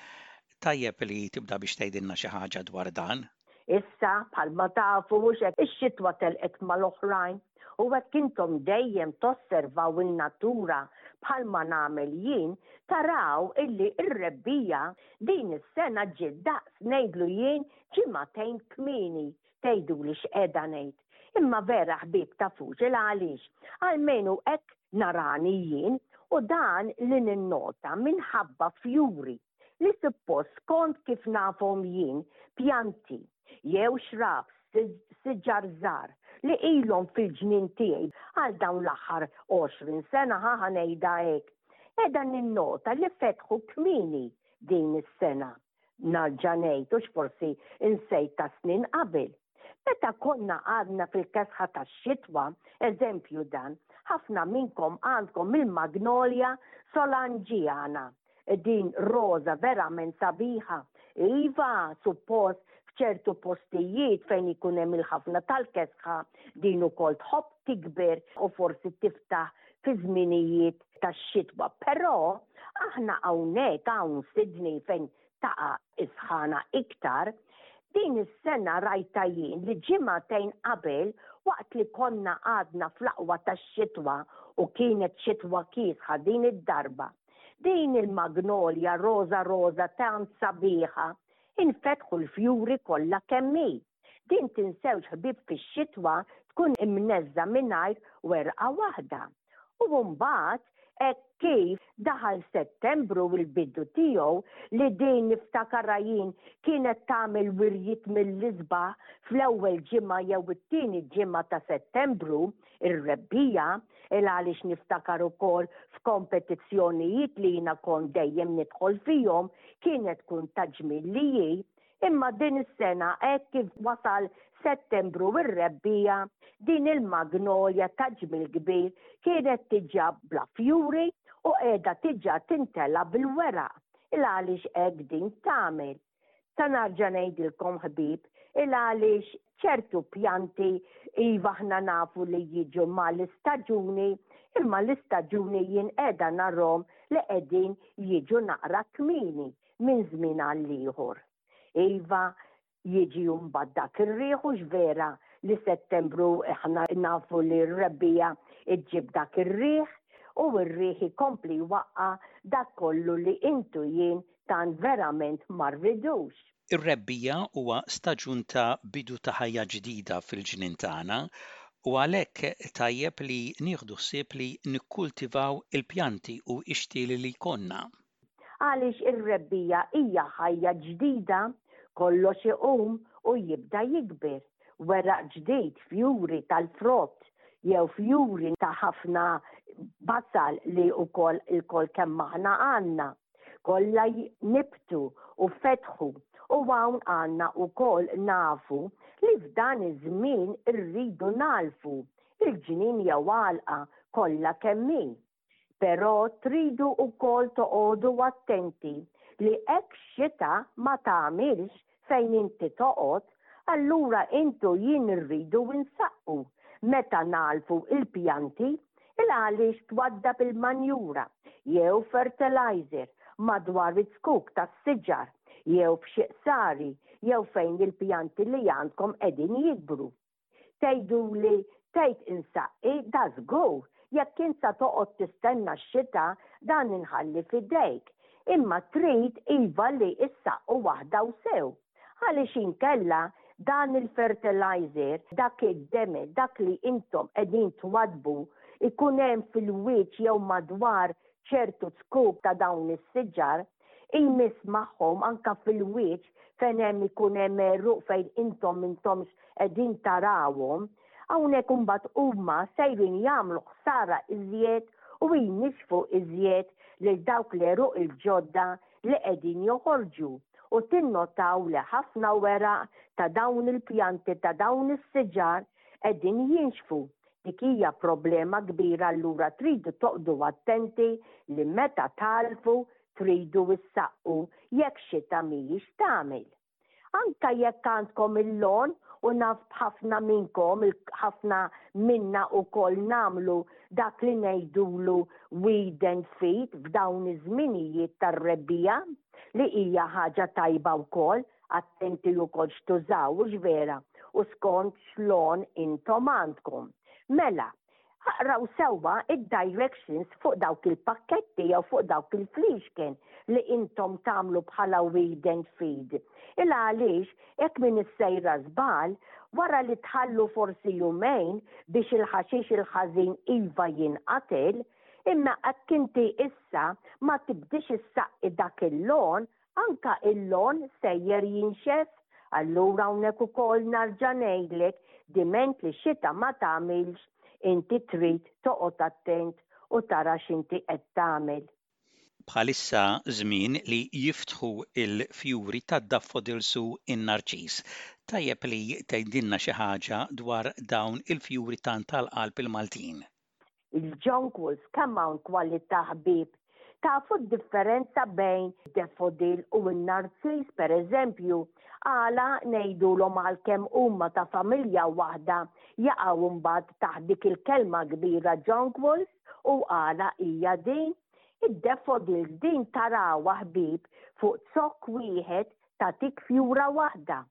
Tajjeb li tibda biex tgħidilna xi ħaġa dwar dan. Issa, bħalma tafu mhux hekk, ix-xitwa telqet mal-oħrajn u hekk intom dejjem tosservaw in-natura bħalma nagħmel jien, taraw illi r-rebbiegħa din is-sena ġiet daqs ngħidlu jien ġimagħtejn kmieni. Tgħiduli x'qiegħda ngħid. Imma vera ħbieb tafux il għaliex. Almenu hekk narani jien u dan li ninnota minħabba fjuri li suppost skont kif nafhom jien pjanti jew shrubs, siġar żgħar li ilhom fil-ġnien tiegħi għal dawn l-aħħar 20 sena ħa ħa ngħidha hekk. Qiegħda ninnota li fetħu kmieni din is-sena. Narġa' ngħid hux forsi insejt ta' snin qabel. Meta konna għadna fil-kesħa tax-xitwa, eżempju dan, ħafna minnkom għandkom il-magnolia solangiana. Din roża verament sabiħa. Iva, suppost f'ċertu postijiet fejn ikun hemm il-ħafna tal-kesħa din ukoll tħobb tikber u forsi tiftaħ fi żminijiet tax-xitwa. Però aħna hawnhekk hawn Sydney fejn taqa' is-sħana iktar, din is-sena rajtha jien li ġimagħtejn qabel waqt li konna għadna fl-aqwa tax-xitwa u kienet xitwa kiesħa din id-darba, din il-magnolia roża roża tant sabiħa, infetħu l-fjuri kollha kemm hi. Din tinsewx ħbieb fix-xitwa tkun imneżża mingħajr werqa waħda. U mbagħad Hekk kif daħal Settembru u l-bidu tiegħu li din niftakarha jien kienet tagħmel wirjiet mill-isbaħ fl-ewwel ġimgħa jew it-tieni ġimgħa ta' Settembru, ir-rebbiegħa, il għaliex niftakar ukoll f'kompetizzjonijiet li jiena kont dejjem nidħol fihom kienet tkun ta' ġmiel li hi Imma din is-sena hekk kif wasal Settembru u r-rebbiegħa, din il-magnolja ta' ġmiel kbir kienet diġà bla fjuri u qiegħda diġà tintela' bil-weraq. Il għaliex hekk din tagħmel? Sa narġa' ngħidilkom ħbieb, il għaliex ċertu pjanti iva aħna nafu li jiġu mal-istaġuni, imma l-istaġuni jien qiegħda narhom li qegħdin jiġu naqra kmieni. minn żmien għal ieħor. Iva, jiġi mbagħad dak ir-riħ hux vera li Settembru aħna nafu li r-rebbiegħa ġġib dak ir-riħ u r-riħ ikompli jwaqqa' dak kollu li int u jien tant verament ma rridux. Ir-rebbiegħa huwa staġun ta' bidu ta' ħajja ġdida fil-ġnien tagħna u għalhekk tajjeb li nieħdu ħsieb li nikkultivaw il-pjanti u x-xtieli li jkollna. Għaliex ir-rebbiegħa hija ħajja ġdida, kollox iqum u jibda jikber. Weraq ġdid, fjuri tal-frott jew fjuri ta' ħafna basal li wkoll ilkoll kemm aħna għandna. Kollha nibtu u fetħu u hawn għandna wkoll nafu li f'dan iż-żmien irridu nagħlfu il-ġnien jew għalqa kollha kemm hi. Però tridu wkoll toqogħdu attenti li hekk xita ma tagħmilx fejn inti toqgħod, allura int u jien irridu nsaqqu meta nagħlfu il-pjanti il għaliex twaddab il-manjura jew fertilizer madwar iz-zkuk tas-siġar jew f'xi qsari jew fejn il-pjanti li għandkom qegħdin jikbru. Tgħiduli tgħid insaqqi, da żgur, jekk int sa toqgħod tistenna x-xita dan inħalli f'idejk. Imma trid iva li issaqqu waħda u sew. Għaliex inkella dan il-fertilizer, dak id-demel, dak li intom qegħdin twaddbu jkun hemm fil-wiċċ jew madwar ċertu zkuk ta' dawn is-siġar, Jmiss magħhom anke fil-wiċċ fejn hemm ikun hemm għeruq fejn intom m'intomx qegħdin tarawhom. Hawnhekk imbagħad huma sejrin jagħmlu ħsara iżjed u jnixxfu iżjed lil dawk l-għeruq il-ġodda li qegħdin joħorġu u tinnotaw li ħafna weraq ta' dawn il-pjanti ta' dawn is-siġar qegħdin jinxfu. Dik hija problema kbira allura tridu toqgħdu attenti li meta tagħlfu tridu issaqqu jekk xita mhijiex tagħmel. Anka jekk għandkom il-lawn u naf b'ħafna minnkom, ħafna minna ukoll nagħmlu dak li ngħidulu weed and feed f'dawn iż-żminijiet tar-rebbiegħa li hija ħaġa tajba wkoll Attenti ukoll x'tużaw, hux vera, u skont x'lon intom għandkom. Mela, aqraw sewwa id-directions fuq dawk il-pakketti jew fuq dawk il-fliexken li intom tagħmlu bħala weed and feed. Il għaliex hekk min issejra żball, wara li tħallu forsi jumejn biex il-ħaxix il-ħażin iva jinqatel, imma hekk inti issa ma tibdix issaqqi dak il-lon, Anka il-lawn sejjer jinxef, allura hawnhekk ukoll narġa' ngħidlek diment li xita ma tagħmilx inti trid toqgħod attent u tara x'inti qed tagħmel. Bħalissa żmien li jiftħu l-fjuri tad-daffodils u n-narċis. Tajjeb li tgħidilna xi ħaġa dwar dawn il-fjuri tant għal qalb il-Maltin. Il-jonquils kemm hawn kwalità ħbieb. Tafu d-differenza bejn daffodil u n-narċis pereżempju? Għala ngħidulhom għalkemm huma ta' familja waħda jaqgħu mbagħad taħt dik il-kelma kbira jonquils u għala hija din? Id-daffodils din tarawha ħbieb fuq zokk wieħed tagħtik fjura waħda.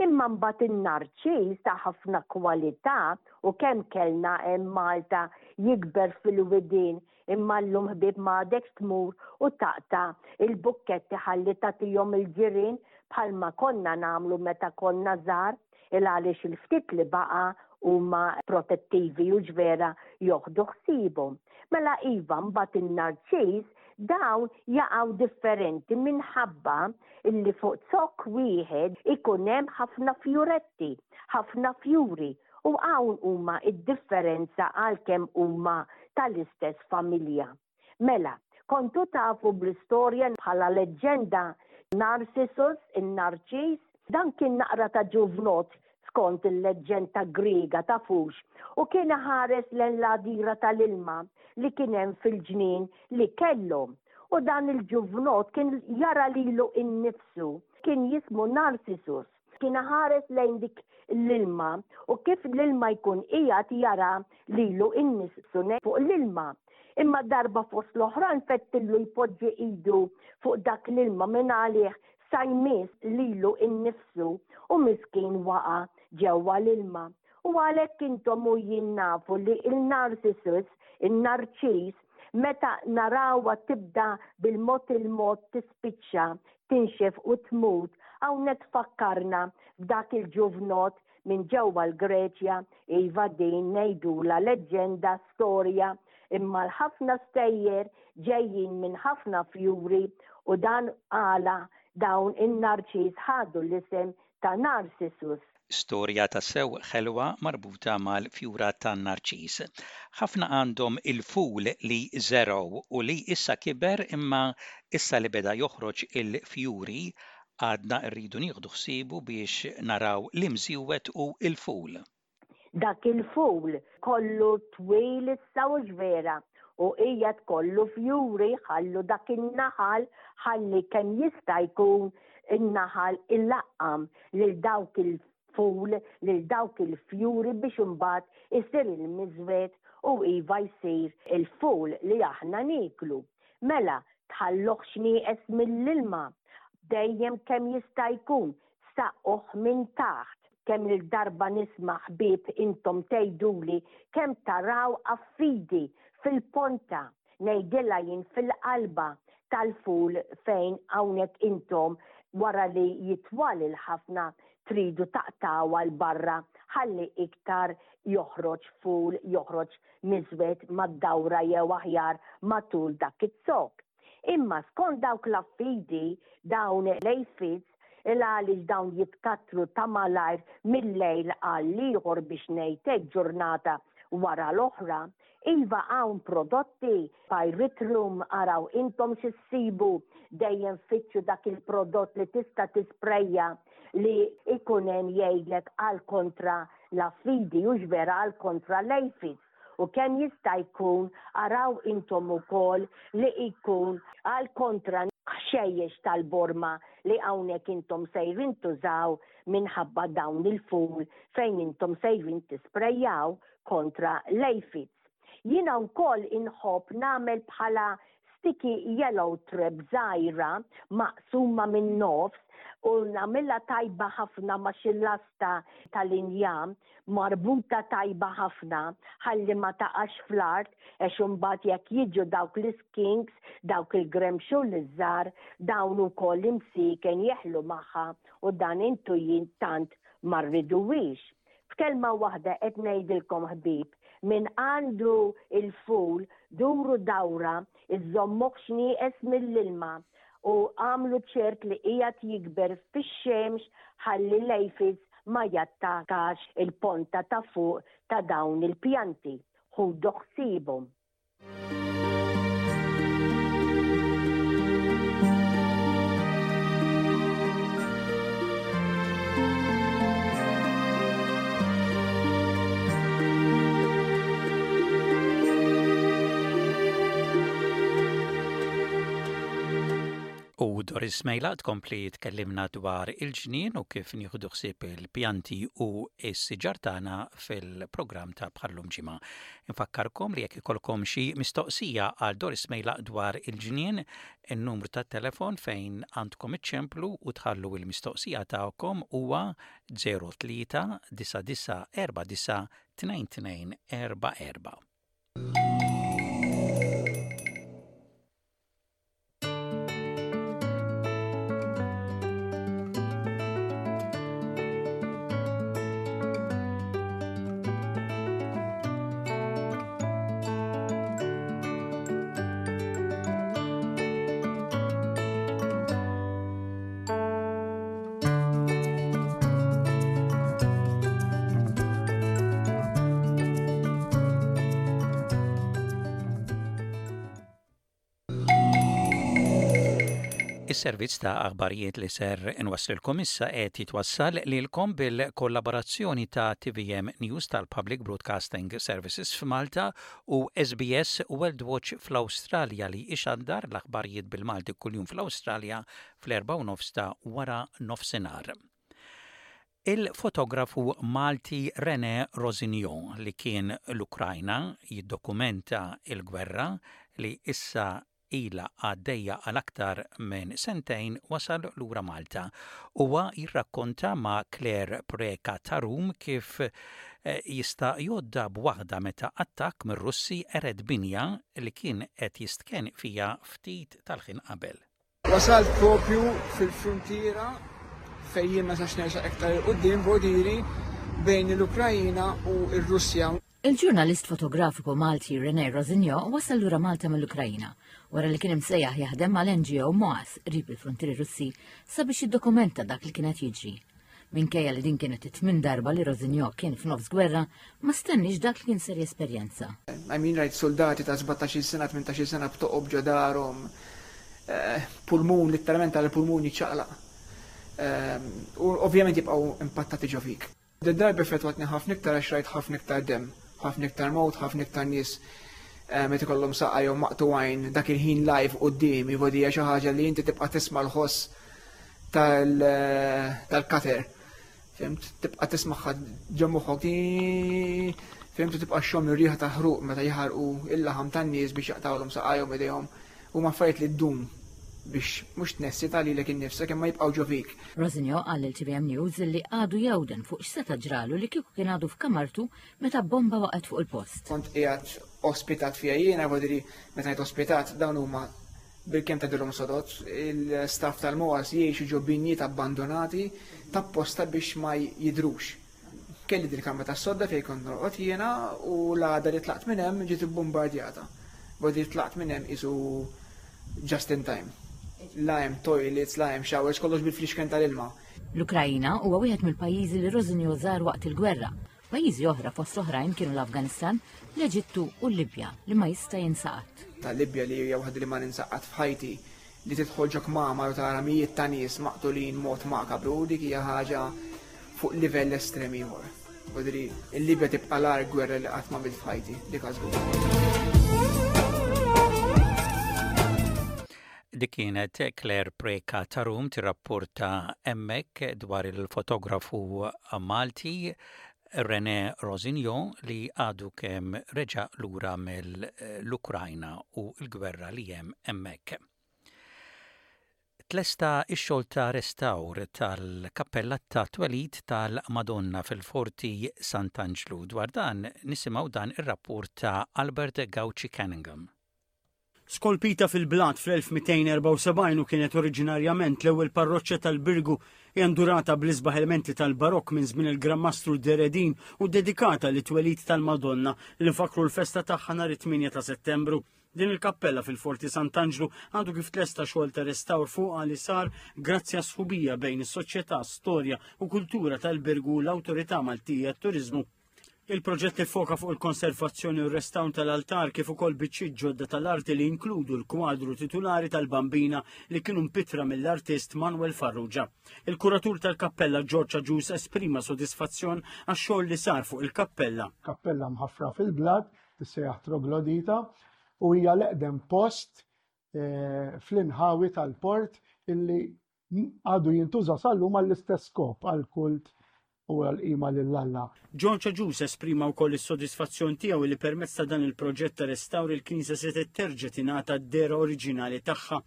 Imma mbagħad in-narċis ta' ħafna kwalità u kemm kellna hemm Malta jikber fil-widien imma llum ħbieb m'għadekx tmur u taqta' il-bukketti ħalli tagħtihom il-ġirien bħalma konna nagħmlu meta konna żgħar il għaliex il-ftit li baqa' huma protettivi u ġvera joħdu ħsiebhom. Mela iva mbagħad in-narċiż dawn jaqgħu differenti minħabba illi fuq zokk wieħed ikun hemm ħafna fjuretti, ħafna fjuri u hawn huma d-differenza għalkemm huma tal-istess familja. Mela, kontu tafu bl-istorja bħala leġġenda Narcissus, in-Narċis? Dan kien naqra ta' ġuvnott skont il-leġġenda Griega tafux u kien iħares lejn l-għadira tal-ilma li kien hemm fil-ġnien li kellhom. U dan il-ġuvnott kien jara lilu innifsu, kien jismu Narcissus. Kien iħares lejn dik l-ilma u kif l-ilma jkun qiegħed jara lilu innifsu fuq l-ilma. Imma darba fost l-oħrajn fettillu jpoġġi idu fuq dak l-ilma minn għalih sa jmiss lilu innifsu u miskin waqa' ġewwa l-ilma. U għalhekk intom u jien nafu li il-Narcissus, in-Narċis, meta narawha tibda bil-mod il-mod tispiċċa, tinxef u tmut, hawnhekk tfakkarna f'dak il-ġuvnott minn ġewwa l-Greċja, iva din ngħidulha leġġenda, storja, imma l-ħafna stejjer ġejjin minn ħafna fjuri u dan għala dawn in-narċis ħadu l-isem ta' Narcissus. Storja tassew ħelwa marbuta mal-fjura tan-narċis. Ħafna għandhom il-ful li żergħu u li issa kiber imma issa li beda joħroġ il-fjuri Għadna rridu nieħdu ħsiebu biex naraw l-imżiewed u l-ful. Dak il-ful kollu twil issa hux vera u qiegħed kollu fjuri ħallu dak in-naħal ħalli kemm jista' jkun in-naħal ilaqqam lil dawk il-ful lil dawk il-fjuri biex imbagħad isir il-miżwed u iva jsir il-ful li aħna nieklu. Mela, tħalluhx nieqes mill-ilma, dejjem kemm jista' jkun saqquh minn taħt. Kemm-il darba nisma' ħbieb intom tgħiduli kemm taraw affidi fil-ponta, ngħidilha jien fil-qalba tal-ful fejn hawnhekk intom wara li jitwal il-ħafna tridu taqtgħuha 'l barra ħalli iktar joħroġ ful, joħroġ miżwed mad-dawra jew aħjar matul dak iz-zokk. Imma skont dawk l-affidi, dawn l-aphids, il għaliex dawn jitkattru ta' malajr mil-lejl għall-ieħor biex ngħid hekk ġurnata wara l-oħra, iva hawn prodotti, pyrethrum, araw intom xi ssibu, dejjem fittxu dak il-prodott li tista' tisprejja li jkun hemm jgħidlek għal kontra l-affidi hux vera għal kontra l-aphids u kemm jista' jkun araw intom ukoll li jkun għal kontra ħxejjex tal-borma li hawnhekk intom sejrin tużaw minħabba dawn il-ful fejn intom sejrin tisprejjaw kontra l-aphids. Jiena wkoll inħobb nagħmel bħala sticky yellow trap żgħira maqsuma min-nofs u nagħmilha tajba ħafna ma' xi lasta tal-injam marbuta tajba ħafna ħalli ma taqax fl-art għax imbagħad jekk jiġu dawk l-iskinks, dawk il-gremxul iż-żgħar, dawn ukoll imsieken jeħlu magħha u dan intu jien tant ma rriduhiex. F'kelma waħda qed ngħidilkom ħbieb, min għandu l-ful duru dawra iżżommuhx nieqes mill-ilma u agħmlu ċert li qiegħed jikber fix-xemx ħalli l-aphids ma jattakax il-ponta ta' fuq ta' dawn il-pjanti. Ħudu ħsiebhom. U Doris Mejla tkompli tkellimna dwar il-ġnien u kif nieħdu ħsieb il-pjanti u s-siġar tagħna fil-programm ta' bħallum ġimgħa. Infakkarkom li jekk ikollkom xi mistoqsija għal Doris Mejlaq dwar il-ġnien, in-numru tat-telefon fejn għandkom iċċemplu u tħallu l-mistoqsija tagħkom huwa 03 9949 2244. Is-servizz ta' aħbarijiet li ser inwasslilkom issa qed jitwassal lilkom bil-kollaborazzjoni ta' TVM News tal-Public Broadcasting Services f'Malta u SBS World Watch fl-Awstralja li ixandar l-aħbarijiet bil-Malti kuljum fl-Awstralja fl-4:30 ta' wara nofsinhar. Il-fotografu Malti René Rossignol li kien l-Ukrajna jiddokumenta l-gwerra li issa ilha għaddejja għal aktar minn sentejn wasal lura Malta. Huwa jirrakkonta ma' Claire Preca Tarum kif jista' jgħoddha b'waħda meta attakk mir-Russi qered binja li kien qed jistkenn fiha ftit tal-ħin qabel. Wasalt propju fil-fruntiera fejn jien ma sax nersaq iktar 'il quddiem bordiri bejn l-Ukrajina u r-Russja. Il-ġurnalist fotografiku Malti René Rossignol wasal lura Malta mill-Ukrajina wara li kien imsejjaħ jaħdem mal-NGO MOAS qrib il-fruntieri Russi sabiex jiddokumenta dak li kien qed jiġri. Minkejja li din kienet it-tmien darba li Rossignol kien f'nofs gwerra, ma stenniex dak li kien ser jesperjenza. I mean rajt suldati ta' 17-il sena, 18-il sena b'toqob ġo darhom, eh, pulmun, litteralment għal pulmun jiċċaqlaq. Eh, u ovvjament jibqgħu impattati ġo fik. Did-darba effettwatni ħafna iktar għax rajt ħafna iktar demm, ħafna iktar mewt, ħafna iktar nies eh, meta ikollhom saqajhom maqtugħin dak il-ħin live quddiemi, hija xi ħaġa li inti tibqa' tisma' l-ħoss tal-cutter. Fimt? Tibqa' tismagħha ġo moħħok. Fimt? Tibqa' xxomm ir-riħa ta' ħruq meta jaħarqu il-laħam tan-nies biex jaqtgħulhom saqajhom idejhom. Huma affarijiet li ddum biex mhux tnessi ta' lilek innifsek imma jibqgħu ġo fik. Rosinio qal lil TVM News li għadu jewden fuq x'seta' ġralu li kieku kien għadu f'kamartu meta bomba waqgħet fuq il-post. Kont qiegħed ospitat fiha jiena, voldiri meta ngħid ospitat dawn huma Bilkemm tgħaddilhom sodod, il-staff tal-MOAS jgħixu ġo binjiet abbandonati t'apposta biex ma jidhrux. Kelli dil-kamra tas-sodda fejn kont norqod jiena u l-għada li tlaqt minn hemm ġiet ibbumbardjata. Vuol dire tlaqt minn hemm qisu just in time. La hemm toilets, la hemm showers, kollox bil-flixken tal-ilma. L-Ukraina huwa wieħed mill-pajjiżi li Rosinio żar waqt il-gwerra Pajjiżi oħra fost oħrajn kienu l-Afganistan, l-Eġittu u l-Libja li ma jista' jinsa qatt. Tal-Libja li hija waħda li ma ninsa qatt f'ħajti, li tidħol ġo kmamar u tara mijiet ta' nies maqtulin mod makabru, dik hija ħaġa fuq livell estrem ieħor. Vodri, il-Libja tibqa' l-agħar gwerra li qatt ma f'ħajti, dik żgur. Dik kienet Claire Preca Tarum tirrapporta hemmhekk dwar il-fotografu Malti René Rossignol li għadu kemm reġa' lura mill-Ukrajna u l-gwerra li hemm hemmhekk. Tlesta x-xogħol ta' restawr tal-kappella ta' twelid tal-Madonna fil-Forti Sant'Anġlu. Dwar dan nisimgħu dan ir-rapport ta' Albert Gauci Cunningham. Skolpita fil-blat fl-1274 u kienet oriġinarjament l-ewwel parroċċa tal-Birgu, hija ndurata bl-isbaħ elementi tal-Barokk minn żmien il-Gran Mastru Deredin u ddedikata lit-twelid tal-Madonna li nfakkru l-festa tagħha nhar it-8 ta' Settembru. Din il-kappella fil-Forti Sant'Anġlu għadu kif tlesta xogħol ta' restawr fuqha li sar grazzi għas-sħubija bejn is-Soċjetà Storja u Kultura tal-Birgu u l-Awtorità Maltija għat-Turiżmu. Il-proġett iffoka fuq il-konservazzjoni u r-restawr tal-altar kif ukoll biċċiet ġodda tal-arti li jinkludu l-kwadru titulari tal-Bambina li kienu mpittra mill-artist Manuel Farrugia. Il-kuratur tal-kappella George Agius esprima sodisfazzjon għax-xogħol li sar fuq il-kappella. Kappella mħaffra fil-blat, tissejjaħ Troglodita, u hija l-eqdem post eh, fl-inħawi tal-port illi għadu jintuża sal-lum għall-istess skop għall-kult u għall-qima lil Alla. John Agius esprima wkoll is-sodisfazzjon tiegħu li permezz ta' dan il-proġett ta' restawr il-knisja setgħet terġa' tingħata d-dehra oriġinali tagħha.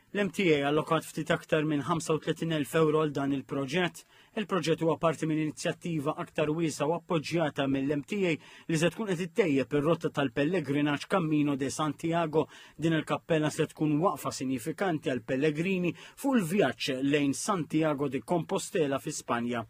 L-MTA allokat ftit aktar minn 35,000 ewro għal dan il-proġett. Il-proġett huwa parti minn inizjattiva aktar wiesgħa u appoġġjata mill-MTA li se tkun qed ittejjeb ir-rotta tal-pellegrinaġġ Cammino de Santiago. Din il-kappella se tkun waqfa sinifikanti għal pellegrini fuq il-vjaġġ lejn Santiago de Compostela fi Spanja.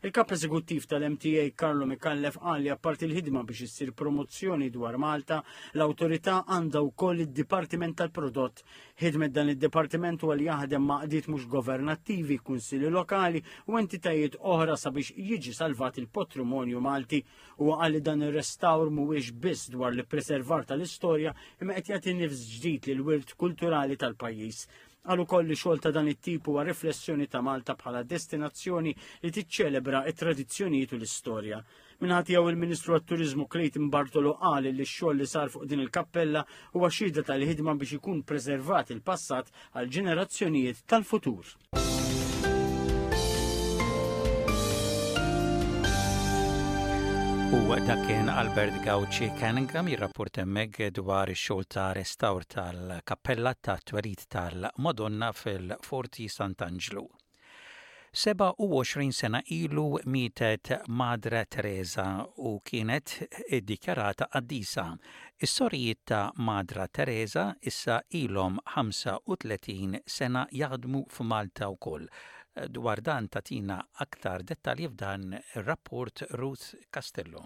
Il-kap eżekuttiv tal-MTA Carlo Micallef qal li apparti l-ħidma biex issir promozzjoni dwar Malta, l-awtorità għandha wkoll id-Dipartiment tal-Prodott Ħidmet dan id-dipartiment huwa li jaħdem ma' għaqdiet mhux governattivi, kunsilli lokali u entitajiet oħra sabiex jiġi salvat il-patrimonju Malti. Huwa qal li dan ir-restawr mhuwiex biss dwar l-ippreservar tal-istorja imma qed jagħti nifs ġdid lil wirt kulturali tal-pajjiż. Qal ukoll li xogħol ta' dan it-tip huwa riflessjoni ta' Malta bħala destinazzjoni li tiċċelebra t-tradizzjonijiet u l-istorja. Min-naħa tiegħu il-Ministru għat-Turiżmu Clayton Bartolo qal li x-xogħol li sar fuq din il-kappella huwa xhieda tal-ħidma biex ikun preservat il-passat għal ġenerazzjonijiet tal-futur. U dak kien Albert Gauci Cunningham jirrapport hemmhekk dwar ix-xogħol ta' restawr tal-kappella tat-twelid tal-Madonna fil-Forti Sant'Anġlu. 27 sena ilu mietet Madre Teresa u kienet iddikjarata qaddisa. Is-sorijiet ta' Madre Teresa issa ilhom 35 sena jaħdmu f'Malta wkoll. Dwar dan tagħtina aktar dettalji f'dan ir-rapport Ruth Castillo.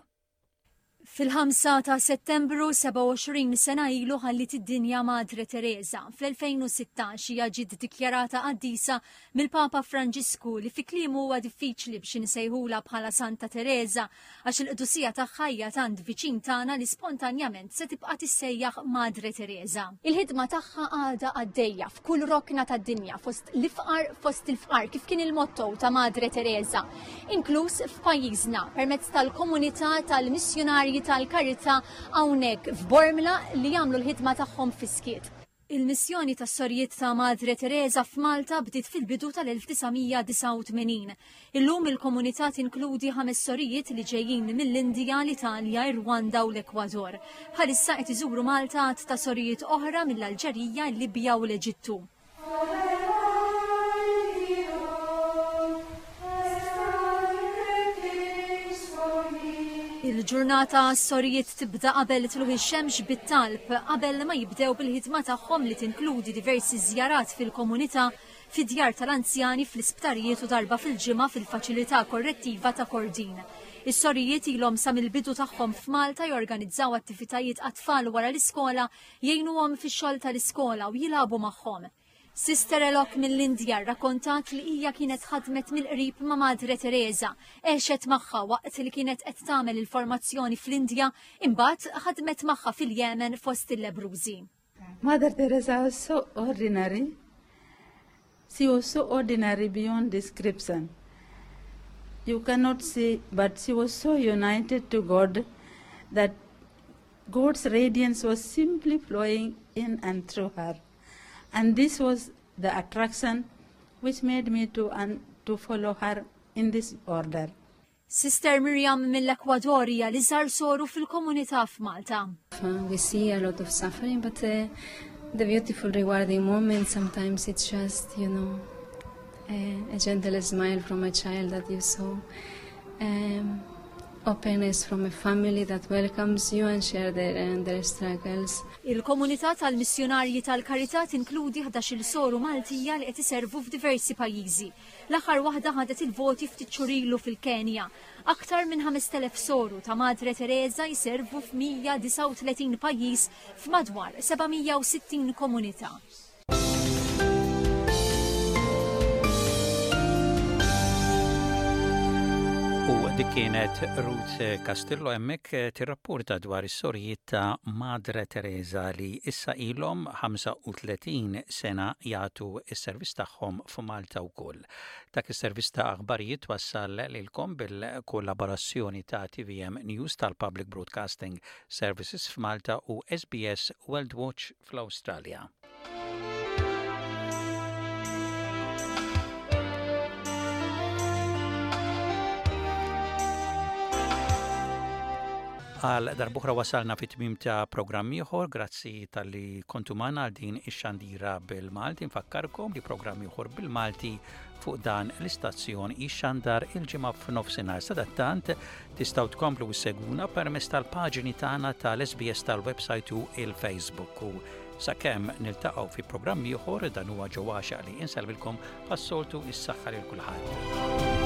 Fil-5 ta' Settembru 27 sena ilu ħalliet id-dinja Madre Teresa. Fl-2016 hija ġiet dikjarata qaddisa mill-Papa Franġisku li fi kliemu huwa diffiċli biex insejħulha bħala Santa Teresa għax il-qdusija tagħha hija tant viċin tagħna li spontanjament se tibqa' tissejjaħ Madre Teresa. Il-ħidma tagħha għadha għaddejja f'kull rokna tad-dinja fost l-ifqar fost il-fqar kif kien il-motto ta' Madre Teresa. inkluż f'pajjiżna permezz tal-komunità tal-missjunarji tal-karità hawnhekk f'Bormla li jagħmlu l-ħidma tagħhom fis-skiet. Il-missjoni tas-Sorijiet ta' Madre Teresa f'Malta bdiet fil-bidu tal-1989. Illum il-komunità tinkludi ħames sorijiet li ġejjin mill-Indija, l-Italja, ir-Rwanda u l-Ekwador. Bħalissa qed iżuru Malta għadd ta' sorijiet oħra mill-Alġerija, il-Libja u l-Eġittu. Il-ġurnata għas-sorijiet tibda qabel tlugħ ix-xemx bit-talb qabel ma jibdew bil-ħidma tagħhom li tinkludi diversi żjarat fil-komunità, fid-djar tal-anzjani, fl-isptarijiet u darba fil-ġimgħa fil-faċilità korrettiva ta' Kordin. Is-sorijiet ilhom sa mill-bidu tagħhom f'Malta jorganizzaw attivitajiet għat-tfal wara l-iskola jgħinuhom fix-xogħol tal-iskola u jilagħbu magħhom. Sister Elok mill-Indja rrakkontat li hija kienet ħadmet mill-qrib ma' Madre Teresa, għexet magħha waqt li kienet qed tagħmel il-formazzjoni fl-Indja, imbagħad ħadmet magħha fil-Jemen fost il-lebbrużi. Mother Teresa was so ordinary. She was so ordinary beyond description. You cannot see, but she was so united to God that God's radiance was simply flowing in and through her. And this was the attraction which made me to, un, to follow her in this order. Sister Miriam mill-Ekwador hija l-iżgħar soru fil-komunità f'Malta. We see a lot of suffering, but uh, the beautiful rewarding moment sometimes it's just, you know, a, a gentle smile from a child that you saw. Um, openness from a family that welcomes you and share their, and their struggles. Il-komunità tal-missjunarji tal-karità tinkludi 11-il soru Maltija li qed iservu f'diversi pajjiżi. L-aħħar waħda ħadet il-voti ftit xhur ilu fil-Kenja. Aktar minn 5,000 soru ta' Madre Teresa jservu f'139 pajjiż f'madwar 760 komunità. U dik kienet Ruth Castillo hemmhekk eh, tirrapporta dwar is-sorijiet ta' Madre Teresa li issa ilhom 35 sena jagħtu s-servizz tagħhom f'Malta wkoll. Dak is-servizz ta' aħbarijiet wassal lilkom bil-kollaborazzjoni ta' TVM News tal-Public Broadcasting Services f'Malta u SBS World Watch fl-Awstralja. Għal darbuħra wasalna fit tmim ta' programm ieħor, grazzi tal-li kontu magħna għal din ix-xandira bil-Malti. Nfakkarkom li programm ieħor bil-Malti fuq dan l-istazzjon jixxandar il-ġimgħa f'nofsinhar. Sadattant tistgħu tkomplu issegwuna permezz tal-paġni tagħna tal-SBS tal-website u il-Facebook. U sakemm niltaqgħu fi programm ieħor dan huwa ġewwa li insalvilkom bħas-soltu is-saħħa lil kulħadd.